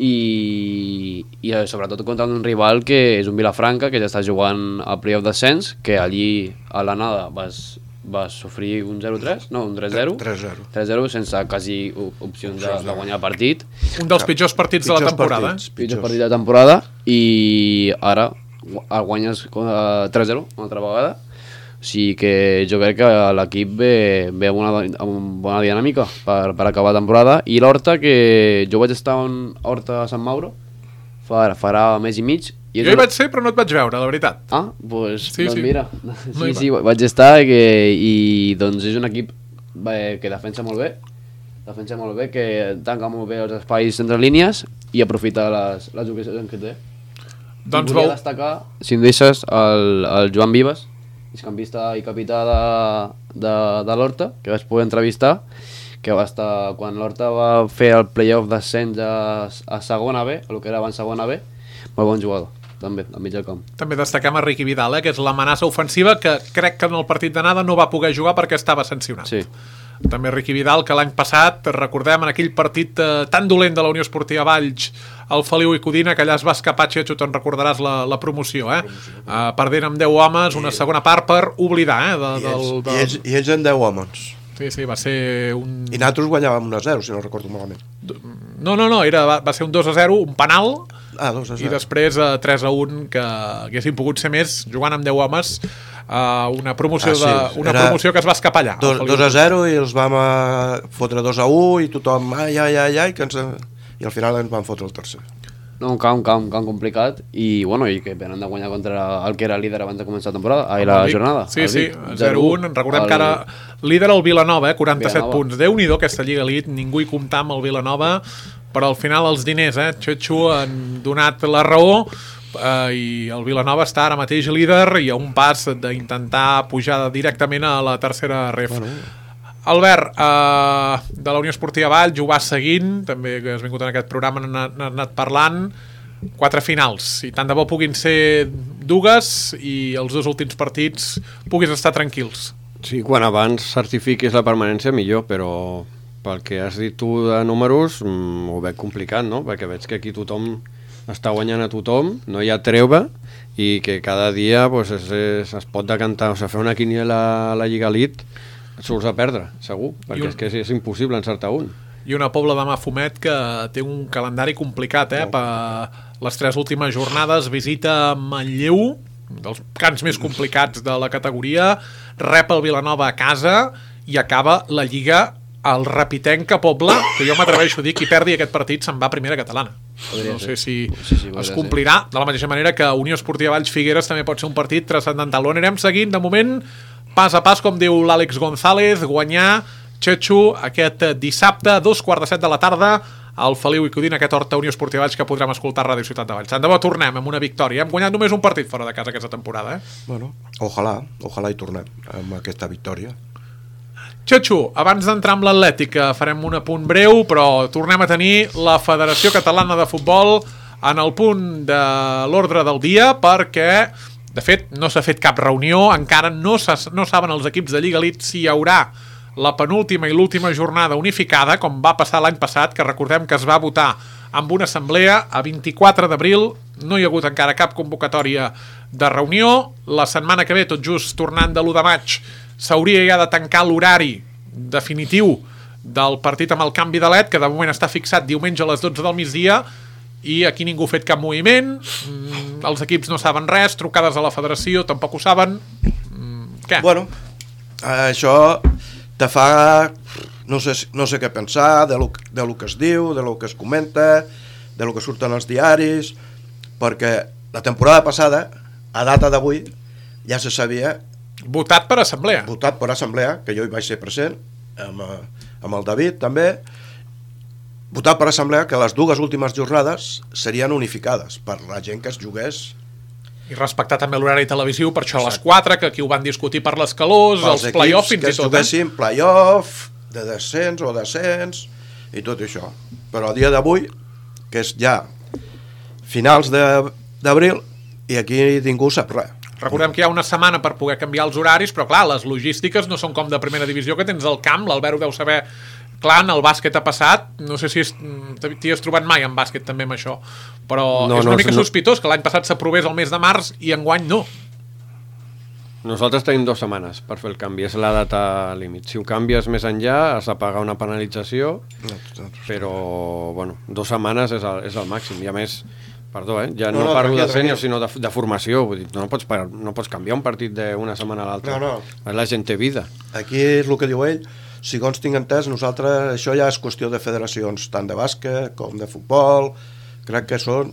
i, i sobretot contra un rival que és un Vilafranca, que ja està jugant al playoff d'ascens, que allí a l'anada vas, vas sofrir un zero tres, no, un tres zero, tres zero tres zero sense quasi opcions de, de guanyar el partit. Un dels pitjors partits pitjors de la temporada. partits, Eh? Pitjor partit de la temporada, i ara el guanyes uh, tres zero una altra vegada. O sigui que jo crec que l'equip ve, ve amb, una, amb una bona dinàmica per, per acabar la temporada. I l'Horta, que jo vaig estar a Horta a Sant Mauro farà, farà mes i mig. I Jo hi vaig ser, però no et vaig veure, la veritat. Ah, pues, Sí, doncs sí. mira, No sí, hi sí, vaig estar i, que, i doncs és un equip eh, que defensa molt bé, defensa molt bé, que tanca molt bé els espais entre línies i aprofita les, les ocasions que té. Doncs I volia veu... destacar, si em deixes, el, el Joan Vives, migcampista i capità de, de, de l'Horta, que vaig poder entrevistar, que va estar, quan l'Horta va fer el playoff d'ascens a, a segona B, el que era abans segona B, molt bon jugador, també, al mig del camp. També destaquem a Riqui Vidal, eh, que és l'amenaça ofensiva, que crec que en el partit d'anada no va poder jugar perquè estava sancionat. Sí. També Riqui Vidal, que l'any passat, recordem, en aquell partit eh, tan dolent de la Unió Esportiva Valls, el Feliu i Codina, que allà es va escapar, Xetxo, te'n recordaràs la, la promoció, eh? Uh, perdent amb deu homes, una segona part per oblidar, eh? De, I, ells, del, del... i, ells, I ells en deu homes. Sí, sí, va ser un... I nosaltres guanyàvem un a zero, si no recordo malament. No, no, no, era, va, va ser un dos a zero, un penal, Ah, dos a i zero. després uh, tres a un, que haguessin pogut ser més, jugant amb deu homes, uh, una, promoció Ah, sí, de, una era promoció que es va escapar allà. Dos, dos a zero i els vam a fotre dos a u i tothom, ai, ai, ai, ai, que ens... i al final ens van fotre el tercer. No, un camp, un camp, un camp complicat i, bueno, i que venen de guanyar contra el que era líder abans de començar la temporada, ai, la El Vic. jornada. Sí, el sí, Vic. zero a un. Recordem el... que ara líder el Vilanova, eh, quaranta-set Vilanova. punts. Déu-n'hi-do aquesta Lliga Elite, ningú hi comptà amb el Vilanova, però al final els diners, eh, Xetxo, han donat la raó, eh, i el Vilanova està ara mateix líder i a un pas d'intentar pujar directament a la tercera ref. Bueno. Albert, eh, de la Unió Esportiva Valls, ho vas seguint, també que has vingut en aquest programa, n'ha anat parlant, quatre finals, i tant de bo puguin ser dues i els dos últims partits puguis estar tranquils. Sí, quan abans certifiquis la permanència millor, però pel que has dit tu de números mm, ho veig complicat, no? Perquè veig que aquí tothom està guanyant a tothom, no hi ha treuva i que cada dia pues, es, es, es pot decantar, o sigui, fer una quiniela a la Lliga Elite surts a perdre, segur, perquè un... és que és, és impossible encertar un. I una Pobla de Mafumet que té un calendari complicat, eh? Per les tres últimes jornades, visita Manlleu, dels camps més complicats de la categoria, rep el Vilanova a casa i acaba la Lliga al Rapitenca Pobla, que jo m'atreveixo a dir qui perdi aquest partit se'n va a primera catalana. Podria No ser. sé si Sí, sí, es podria complirà, de la mateixa manera que Unió Esportiva Valls Figueres també pot ser un partit transcendental. Ho anirem seguint, de moment, pas a pas, com diu l'Àlex González, guanyar Xetxo aquest dissabte a dos quarts de set de la tarda al Feliu i Codina, aquest Horta Unió Esportiva Valls que podrem escoltar a Ràdio Ciutat de Valls. Tant de bo tornem amb una victòria. Hem guanyat només un partit fora de casa aquesta temporada, eh? Bueno, ojalà, ojalà hi tornem amb aquesta victòria. Xatxo, abans d'entrar amb l'Atlètica farem un apunt breu, però tornem a tenir la Federació Catalana de Futbol en el punt de l'ordre del dia, perquè, de fet, no s'ha fet cap reunió, encara no, no saben els equips de Lliga Elite si hi haurà la penúltima i l'última jornada unificada, com va passar l'any passat, que recordem que es va votar amb una assemblea a vint-i-quatre d'abril, no hi ha hagut encara cap convocatòria de reunió. La setmana que ve, tot just tornant de l'u de maig, s'hauria ja de tancar l'horari definitiu del partit amb el canvi de L E D, que de moment està fixat diumenge a les dotze del migdia, i aquí ningú ha fet cap moviment, mm, els equips no saben res, trucades a la federació tampoc ho saben. Mm, què? Bueno, això te fa... No sé, no sé què pensar de lo, de lo que es diu, de lo que es comenta, de lo que surten als diaris, perquè la temporada passada, a data d'avui, ja se sabia... Votat per assemblea. Votat per assemblea, que jo hi vaig ser present, amb, amb el David també, votat per assemblea que les dues últimes jornades serien unificades per la gent que es jugués. I respectar també l'horari televisiu, per això a les quatre, que aquí ho van discutir per les calors, els play-off fins i tot. Que es juguessin eh? play-off, de descens o descens, i tot això. Però a dia d'avui, que és ja finals d'abril, i aquí ningú sap res. Recordem que hi ha una setmana per poder canviar els horaris, però clar, les logístiques no són com de primera divisió, que tens el camp, l'Albert ho deu saber. Clar, en el bàsquet ha passat, no sé si t'hi has trobat mai en bàsquet també amb això, però no, és una no, mica no. sospitós que l'any passat s'aprovés el mes de març i enguany no. Nosaltres tenim dues setmanes per fer el canvi, és la data límit. Si ho canvies més enllà has de pagar una penalització, però bueno, dues setmanes és el, és el màxim. I a més, perdó, eh, ja no, no, no parlo de sènior, sinó de, de formació. Vull dir, no, pots, no pots canviar un partit d'una setmana a l'altra. No, no. La gent té vida. Aquí és el que diu ell. Segons tinc entès, nosaltres, això ja és qüestió de federacions, tant de bàsquet com de futbol. Crec que són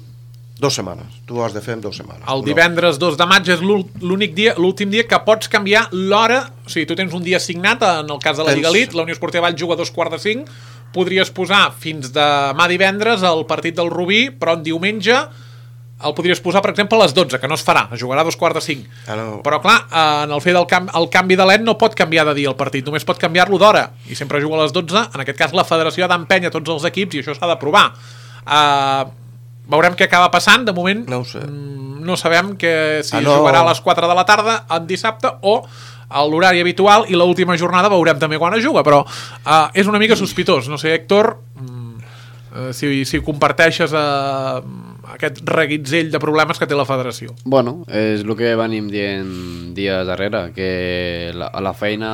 dues setmanes. Tu ho has de fer en dues setmanes. El divendres dos de maig és l'únic dia, l'últim dia que pots canviar l'hora. O sigui, tu tens un dia assignat, en el cas de la Lliga Elite, la Unió Esportiva Vall juga a dos quarts de cinc, podries posar fins demà divendres el partit del Rubí, però en diumenge el podries posar, per exemple, a les dotze, que no es farà, es jugarà a dos quarts de cinc. Ah, no. Però, clar, en el fer del canvi, el canvi de l'E N no pot canviar de dia el partit, només pot canviar-lo d'hora, i sempre juga a les dotze. En aquest cas, la federació ha d'empènyer tots els equips, i això s'ha d'aprovar. Uh, veurem què acaba passant. De moment, no ho sé. No sabem que si ah, no. jugarà a les quatre de la tarda en dissabte o a l'horari habitual, i l'última jornada veurem també quan es juga, però uh, és una mica sospitós. No sé, Héctor, uh, si, si comparteixes uh, aquest reguitzell de problemes que té la federació. Bueno, és el que venim dient dies darrere, que la, la feina,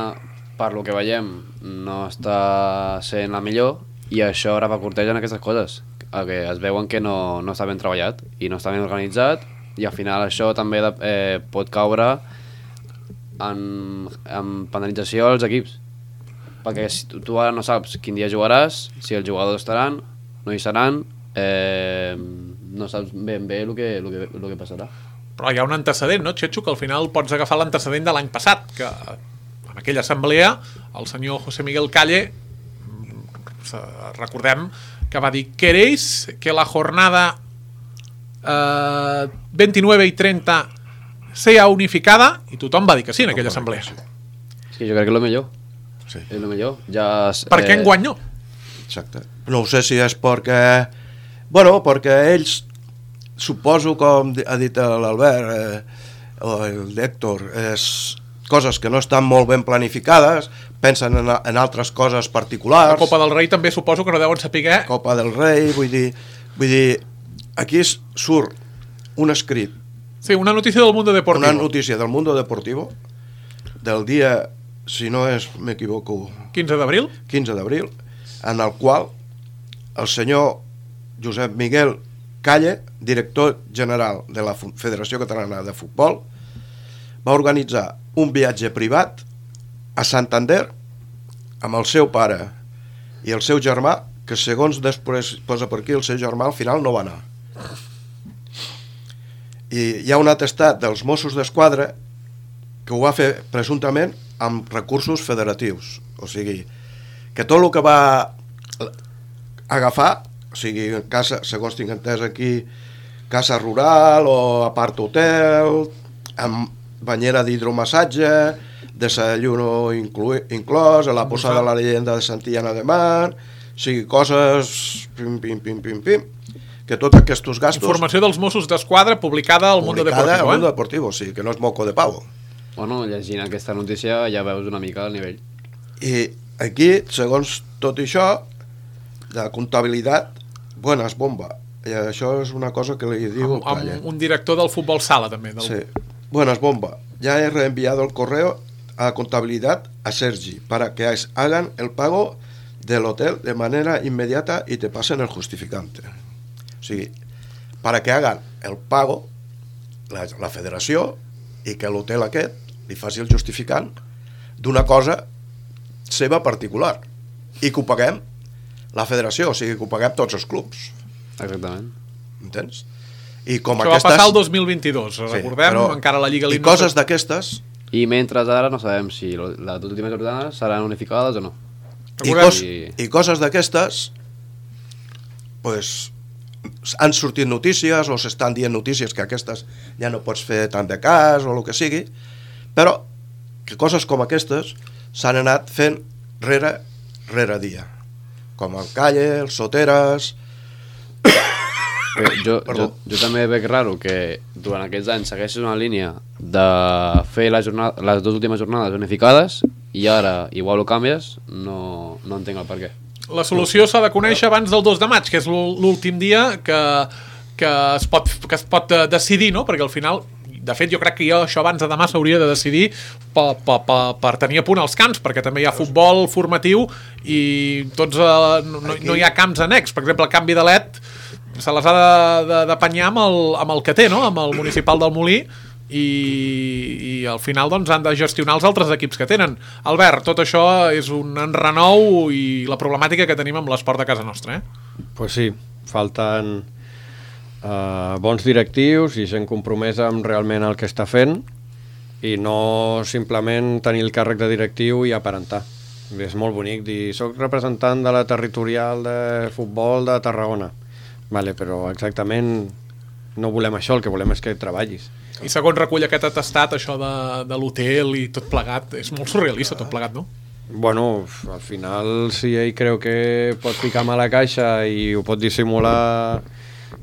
per lo que veiem, no està sent la millor, i això repercuteix en aquestes coses, que es veuen que no, no està ben treballat i no està ben organitzat, i al final això també eh, pot caure en, en penalització als equips, perquè si tu, tu ara no saps quin dia jugaràs, si els jugadors estaran, no hi seran, eh, no saps ben bé el que, el que, el que passarà. Però hi ha un antecedent, no, Xetxo, que al final pots agafar l'antecedent de l'any passat, que en aquella assemblea el senyor José Miguel Calle, recordem que va dir: ¿queréis que la jornada eh, veintinueve y treinta sea unificada? I tothom va dir que sí en aquella assemblea. És que jo crec que és el millor. Sí. És el millor. Ja, per què eh... enguany no? Exacte. No ho sé si és perquè... Bueno, perquè ells, suposo, com ha dit l'Albert eh, o l'Héctor, és coses que no estan molt ben planificades, pensen en, en altres coses particulars. La Copa del Rei també suposo que no deuen saber. Copa del Rei, vull dir, vull dir, aquí surt un escrit. Sí, una notícia del Mundo Deportivo. Una notícia del Mundo Deportivo, del dia, si no és, m'equivoco, quinze d'abril, quinze d'abril, en el qual el senyor Josep Miguel Calle, director general de la Federació Catalana de Futbol, va organitzar un viatge privat a Santander amb el seu pare i el seu germà, que segons després posa per aquí, el seu germà al final no va anar. I hi ha un atestat dels Mossos d'Esquadra que ho va fer presumptament amb recursos federatius, o sigui, que tot el que va agafar, o sigui, casa, segons tinc entès aquí, casa rural o apart hotel, amb banyera d'hidromassatge, desayuno inclu inclòs, la posada de la leyenda de Santillana de Mar, o sigui, coses pim, pim, pim, pim, pim, que tots aquests gastos... Informació dels Mossos d'Esquadra publicada al Mundo Deportivo, Publicada al Mundo eh? Deportivo, sí, que no és moco de pavo. Bueno, llegint aquesta notícia ja veus una mica el nivell. I aquí, segons tot això, de comptabilitat, buenas bomba. I això és una cosa que li diu... Amb, amb un director del futbol sala, també. Del... Sí. Buenas bomba. Ya he reenviado el correo a contabilidad a Sergi para que hagan el pago del hotel de manera inmediata y te pasen el justificante. O sigui, para que hagan el pago la, la federació i que l'hotel aquest li faci el justificant d'una cosa seva particular i que ho paguem la federació, o sigui que ho paguem tots els clubs. Exactament. Entens? I com això aquestes... va passar el dos mil vint-dos, sí, recordem, però... encara la Lliga... I coses d'aquestes... I mentre ara no sabem si les últimes jornades seran unificades o no. I, cos, I coses d'aquestes pues, han sortit notícies o s'estan dient notícies que aquestes ja no pots fer tant de cas o el que sigui, però que coses com aquestes s'han anat fent rere, rere dia, com el Calle, els Soteres... Jo, jo, jo també veig raro que durant aquests anys segueixes una línia de fer la jornada, les dues últimes jornades unificades i ara igual ho canvies, no, no entenc el per què. La solució s'ha de conèixer abans del dos de maig, que és l'últim dia que, que, es pot, que es pot decidir, no? Perquè al final, de fet, jo crec que jo això abans de demà s'hauria de decidir per, per, per, per tenir a punt els camps, perquè també hi ha futbol formatiu i tots, eh, no, no hi ha camps annex. Per exemple, el canvi de l'E T se les ha d'apanyar amb, el, amb el que té, no? Amb el municipal del Molí, i, i al final doncs, han de gestionar els altres equips que tenen. Albert, tot això és un enrenou i la problemàtica que tenim amb l'esport de casa nostra, eh? Pues sí, falten uh, bons directius i gent compromesa amb realment el que està fent i no simplement tenir el càrrec de directiu i aparentar. És molt bonic dir, soc representant de la territorial de futbol de Tarragona. Vale, però exactament no volem això, el que volem és que treballis. I segons recull aquest atestat, això de, de l'hotel i tot plegat, és molt surrealista tot plegat, no? Bueno, al final, si ell creu que pot ficar mà a la caixa i ho pot dissimular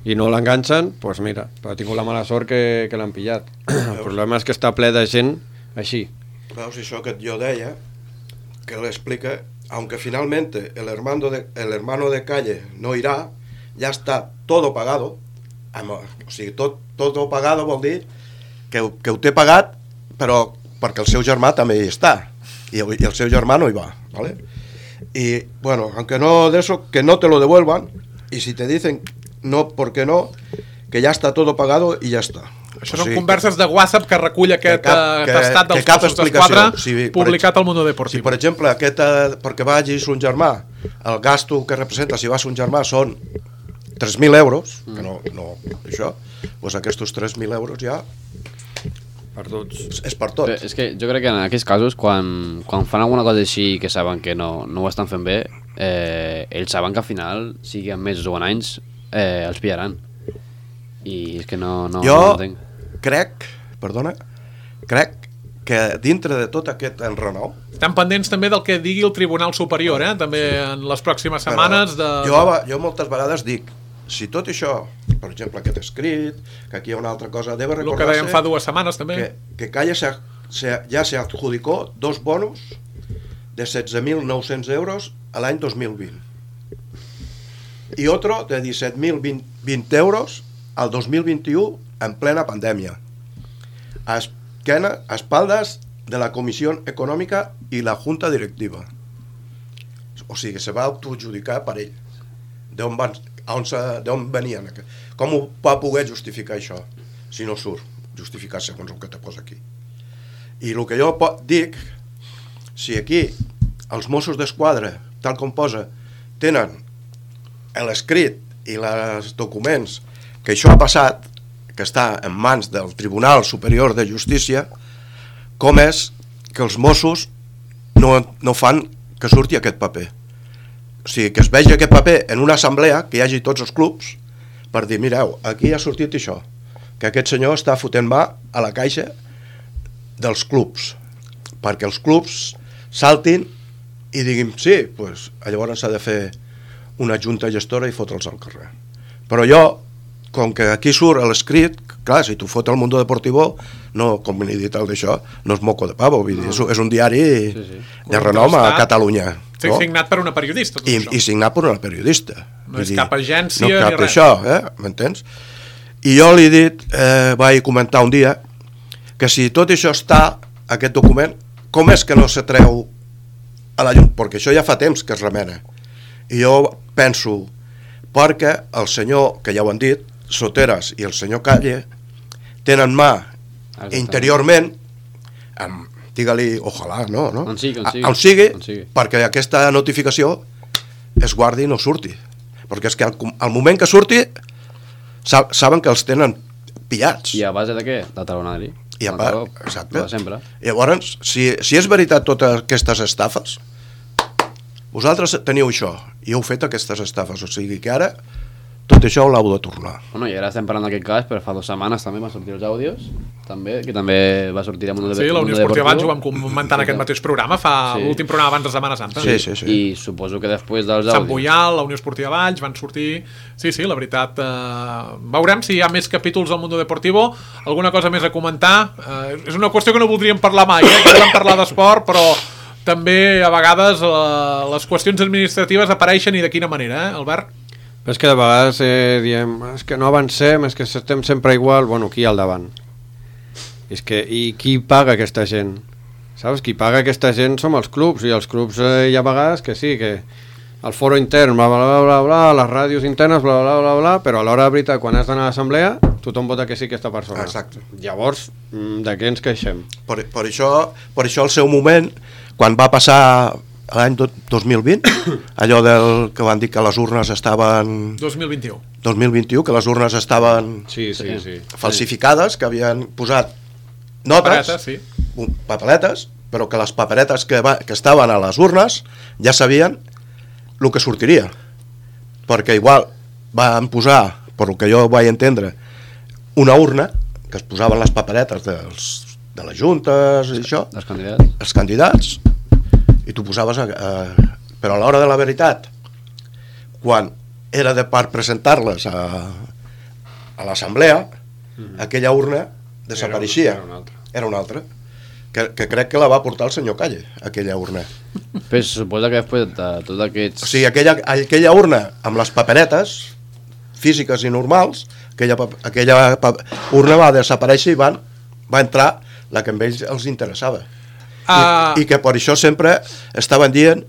i no l'enganxen, doncs pues mira, ha tingut la mala sort que, que l'han pillat. El problema és que està ple de gent així. Veus, això que jo deia, que l'explica, aunque finalmente el hermano de, el hermano de Calle no irá, ja està todo pagado, o sigui, tot, todo pagado vol dir que, que ho té pagat, però perquè el seu germà també hi està, i, i el seu germà no hi va, ¿vale? Y bueno, aunque no de eso, que no te lo devuelvan, y si te dicen no, porque no, que ya está todo pagado y ya está. Això són o sigui, converses de WhatsApp que recull aquest atestat dels Mossos d'Esquadra publicat al Mundo Deportivo. Si, per exemple, aquest, perquè vagis un germà, el gasto que representa si vas un germà són tres mil euros, que no, no això, doncs aquests tres mil euros ja perduts. És per tots. Però és que jo crec que en aquests casos, quan, quan fan alguna cosa així que saben que no, no ho estan fent bé, eh, ells saben que al final, sigui en mesos o en anys, eh, els pillaran. I és que no, no, jo no entenc. crec, perdona, crec que dintre de tot aquest enrenou... Estan pendents també del que digui el Tribunal Superior, eh? També en les pròximes setmanes. De... Jo, jo moltes vegades dic, si tot això, per exemple, aquest escrit, que aquí hi ha una altra cosa, debe recordarse... El que dèiem fa dues setmanes, també. Que, que Calle se, se, ja se adjudicó dos bonos de setze mil nou-cents euros a l'any dos mil vint. I otro de disset mil vint euros al dos mil vint-i-u en plena pandèmia. A, esquena, a espaldas de la Comissió Econòmica i la Junta Directiva. O sigui, se va autoadjudicar per ell. D'on van... d'on venien, com ho va poder justificar això si no surt, justificar segons el que te posa aquí. I el que jo dic, si aquí els Mossos d'Esquadra, tal com posa, tenen l'escrit i els documents que això ha passat, que està en mans del Tribunal Superior de Justícia, com és que els Mossos no, no fan que surti aquest paper? O sigui, que es vegi aquest paper en una assemblea, que hi hagi tots els clubs, per dir, mireu, aquí ha sortit això, que aquest senyor està fotent mà a la caixa dels clubs, perquè els clubs saltin i diguin, sí, pues, llavors s'ha de fer una junta gestora i fotre'ls al carrer. Però jo, com que aquí surt l'escrit, clar, si tu fot el Mundo Deportivo, no, com he dit el d'això, no és moco de pavo, vull dir, no. és un diari sí, sí. de renom a Catalunya. Sí, no? Signat per una periodista. I, I signat per una periodista. No és dir, cap agència no ni cap res. Això, eh? M'entens? I jo li he dit, eh, vaig comentar un dia, que si tot això està, aquest document, com és que no se treu a la llum? Perquè això ja fa temps que es remena. I jo penso, perquè el senyor, que ja ho han dit, Soteras i el senyor Calle, tenen mà interiorment, amb, digue-li, ojalà, no? no? On sigui, on sigui. On sigui, on sigui, perquè aquesta notificació es guardi i no surti. Perquè és que al, al moment que surti, saben que els tenen pillats. I a base de què? De talonari. I a part, exacte. Sempre. Llavors, si, si és veritat totes aquestes estafes, vosaltres teniu això, i heu fet aquestes estafes, o sigui que ara tot això ho l'heu de tornar. Bueno, i ara estem parlant d'aquest cas, però fa dues setmanes també van sortir els àudios, també, que també va sortir amb un Sí, la Unió Esportiva abans ho vam comentar en aquest mateix programa, fa sí. l'últim programa abans de Setmana Santa. Sí, sí, sí. I suposo que després dels àudios... Sant Boial, la Unió Esportiva Valls, van sortir... Sí, sí, la veritat... Eh... Veurem si hi ha més capítols al Mundo Deportivo, alguna cosa més a comentar. Eh, és una qüestió que no voldríem parlar mai, eh? Que volem parlar d'esport, però també a vegades eh, les qüestions administratives apareixen i de quina manera, eh, Albert? Però és que de vegades eh, diem, és que no avancem, és que estem sempre igual, bueno, qui hi ha al davant? És que, i qui paga aquesta gent? Saps? Qui paga aquesta gent som els clubs, i els clubs eh, hi ha vegades que sí, que el foro intern, bla, bla, bla, bla, bla, les ràdios internes, bla, bla, bla, bla, però a l'hora de veritat, quan has d'anar a l'assemblea, tothom vota que sí aquesta persona. Exacte. Llavors, de què ens queixem? Per, per, això, per això al seu moment, quan va passar l'any dos mil vint, allò del que van dir que les urnes estaven... dos mil vint-i-u. dos mil vint-i-u, que les urnes estaven sí, sí, sí. falsificades, que havien posat notes, papeletes, sí. papeletes, però que les paperetes que, va, que estaven a les urnes ja sabien el que sortiria. Perquè igual van posar, per el que jo vaig entendre, una urna, que es posaven les paperetes dels, de les juntes i això, els candidats, els candidats, i tu posaves a, a, però a l'hora de la veritat, quan era de per presentar-les a, a l'assemblea, mm-hmm. aquella urna desapareixia, era, era una altra, era una altra que, que crec que la va portar el senyor Calle, aquella urna. Però se suposa que després de tots aquests... O sigui, aquella, aquella urna amb les paperetes físiques i normals, aquella, aquella urna va desaparèixer i van, va entrar la que a ells els interessava. Uh... I, i que per això sempre estaven dient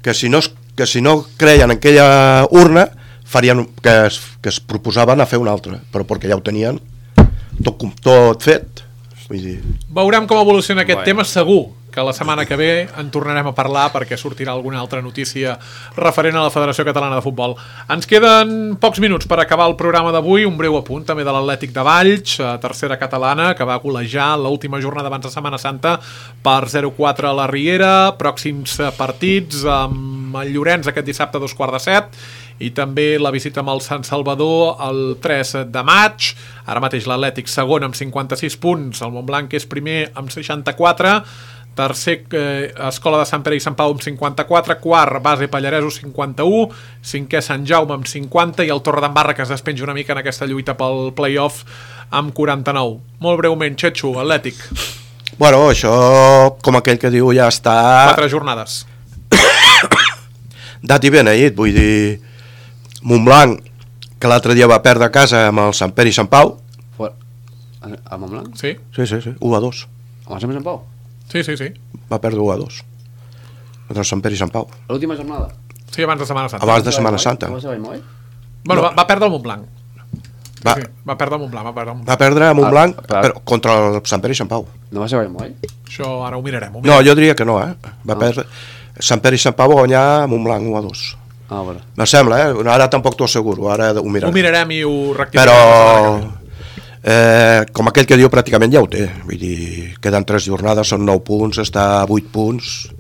que si no, que si no creien en aquella urna farien, que, es, que es proposaven a fer una altra, però perquè ja ho tenien tot, tot fet. Vull dir... Veurem com evoluciona aquest bueno. tema, segur que la setmana que ve en tornarem a parlar perquè sortirà alguna altra notícia referent a la Federació Catalana de Futbol. Ens queden pocs minuts per acabar el programa d'avui, un breu apunt també de l'Atlètic de Valls, tercera catalana, que va golejar l'última jornada abans de Setmana Santa per zero quatre a la Riera, pròxims partits amb el Llorenç aquest dissabte a dos quarts de set, i també la visita amb el Sant Salvador el tres de maig. Ara mateix l'Atlètic segon amb cinquanta-sis punts, el Montblanc és primer amb seixanta-quatre, tercer eh, Escola de Sant Pere i Sant Pau amb cinquanta-quatre, quart Base Pallaresos cinquanta-u, cinquè Sant Jaume amb cinquanta i el Torredembarra, que es despenja una mica en aquesta lluita pel play-off, amb quaranta-nou. Molt breument, Xetxo, Atlètic. Bueno, això, com aquell que diu, ja està... Quatre jornades. Dat i beneït, vull dir... Montblanc, que l'altre dia va perdre a casa amb el Sant Pere i Sant Pau. A Montblanc? Sí. Sí, sí, sí, u a dos. Amb el Sant Pere i Sant Pau? Sí, sí, sí. Va perdre u a dos. Contra el Sant Pere i Sant Pau. L'última jornada? Sí, abans de Setmana Santa. Abans de Setmana Santa. No va ser Vallmoll? Bueno, no. va, va perdre el Montblanc. Sí, va, sí, va perdre el Montblanc, va perdre el Montblanc. Va perdre a Montblanc, ah, però contra el Sant Pere i Sant Pau. No va ser Vallmoll? Això ara ho mirarem. Ho mirarem. No, jo diria que no, eh? Va ah. perdre... Sant Pere i Sant Pau va guanyar a Montblanc u a dos. Ah, bueno. Me sembla, eh? Ara tampoc t'ho asseguro, ara ho mirarem. Ho mirarem i ho rectificarem. Però, eh, com aquell que diu, pràcticament ja ho té. Vull dir, queden tres jornades, són nou punts, està a vuit punts.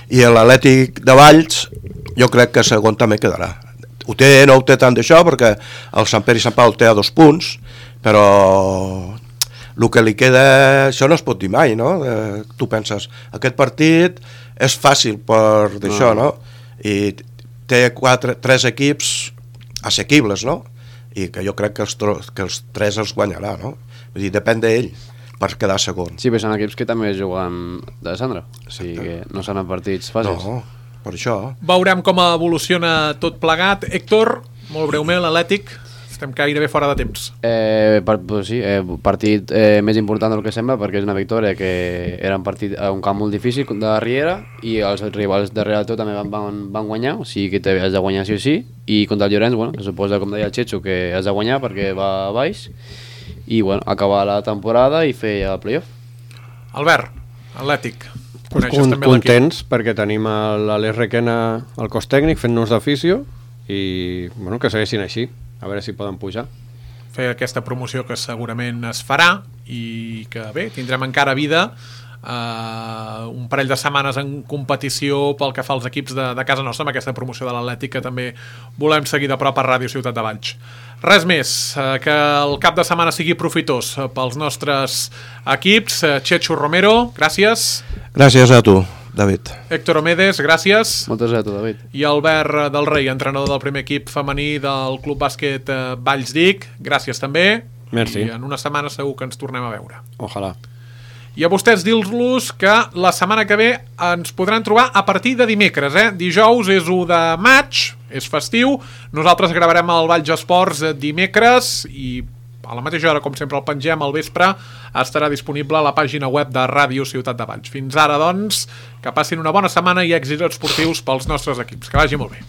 I l'Atlètic de Valls, jo crec que segon també quedarà. Ho té, no ho té tant d'això, perquè el Sant Pere i Sant Pau té a dos punts, però el que li queda, això no es pot dir mai, no? Eh, tu penses, aquest partit és fàcil per d'això, no? I té quatre, tres equips assequibles, no? I que jo crec que els, que els tres els guanyarà, no? Vull dir, depèn d'ell per quedar segon. Sí, però són equips que també juguen de descendre, o sigui que no són partits fàcils. No, per això. Veurem com evoluciona tot plegat. Héctor, molt breument, l'Atlètic, estem gairebé fora de temps. Eh, per, pues sí, eh, partit eh, més important del que sembla, perquè és una victòria que era un, partit, un camp molt difícil de Riera i els rivals darrere de tot també van, van, van guanyar, o sigui que has de guanyar sí o sí, i contra el Llorenç, bueno, se suposa, com deia el Xetxo, que has de guanyar perquè va a baix, i bueno, acabar la temporada i fer el playoff. Albert, Atlètic, coneixes Con, també l'equip. Contents perquè tenim l'Aleix Requena al cos tècnic fent-nos d'afició i bueno, que segueixin així, a veure si poden pujar. Fer aquesta promoció que segurament es farà i que bé, tindrem encara vida uh, un parell de setmanes en competició pel que fa als equips de, de casa nostra amb aquesta promoció de l'Atlètic que també volem seguir de prop a Ràdio Ciutat de Valls. Res més, uh, que el cap de setmana sigui profitós uh, pels nostres equips. uh, Chechu Romero, gràcies. Gràcies a tu, David. Héctor Omedes, gràcies. Moltes gràcies, David. I Albert del Rei, entrenador del primer equip femení del Club Bàsquet uh, Valls d'Ic, gràcies també. Merci. I en una setmana segur que ens tornem a veure. Ojalà. I a vostès dir-los que la setmana que ve ens podran trobar a partir de dimecres, eh? Dijous és u de maig, és festiu, nosaltres gravarem el Valls Esports dimecres i a la mateixa hora, com sempre, el pengem al vespre, estarà disponible a la pàgina web de Ràdio Ciutat de Valls. Fins ara, doncs, que passin una bona setmana i èxits esportius pels nostres equips. Que vagi molt bé.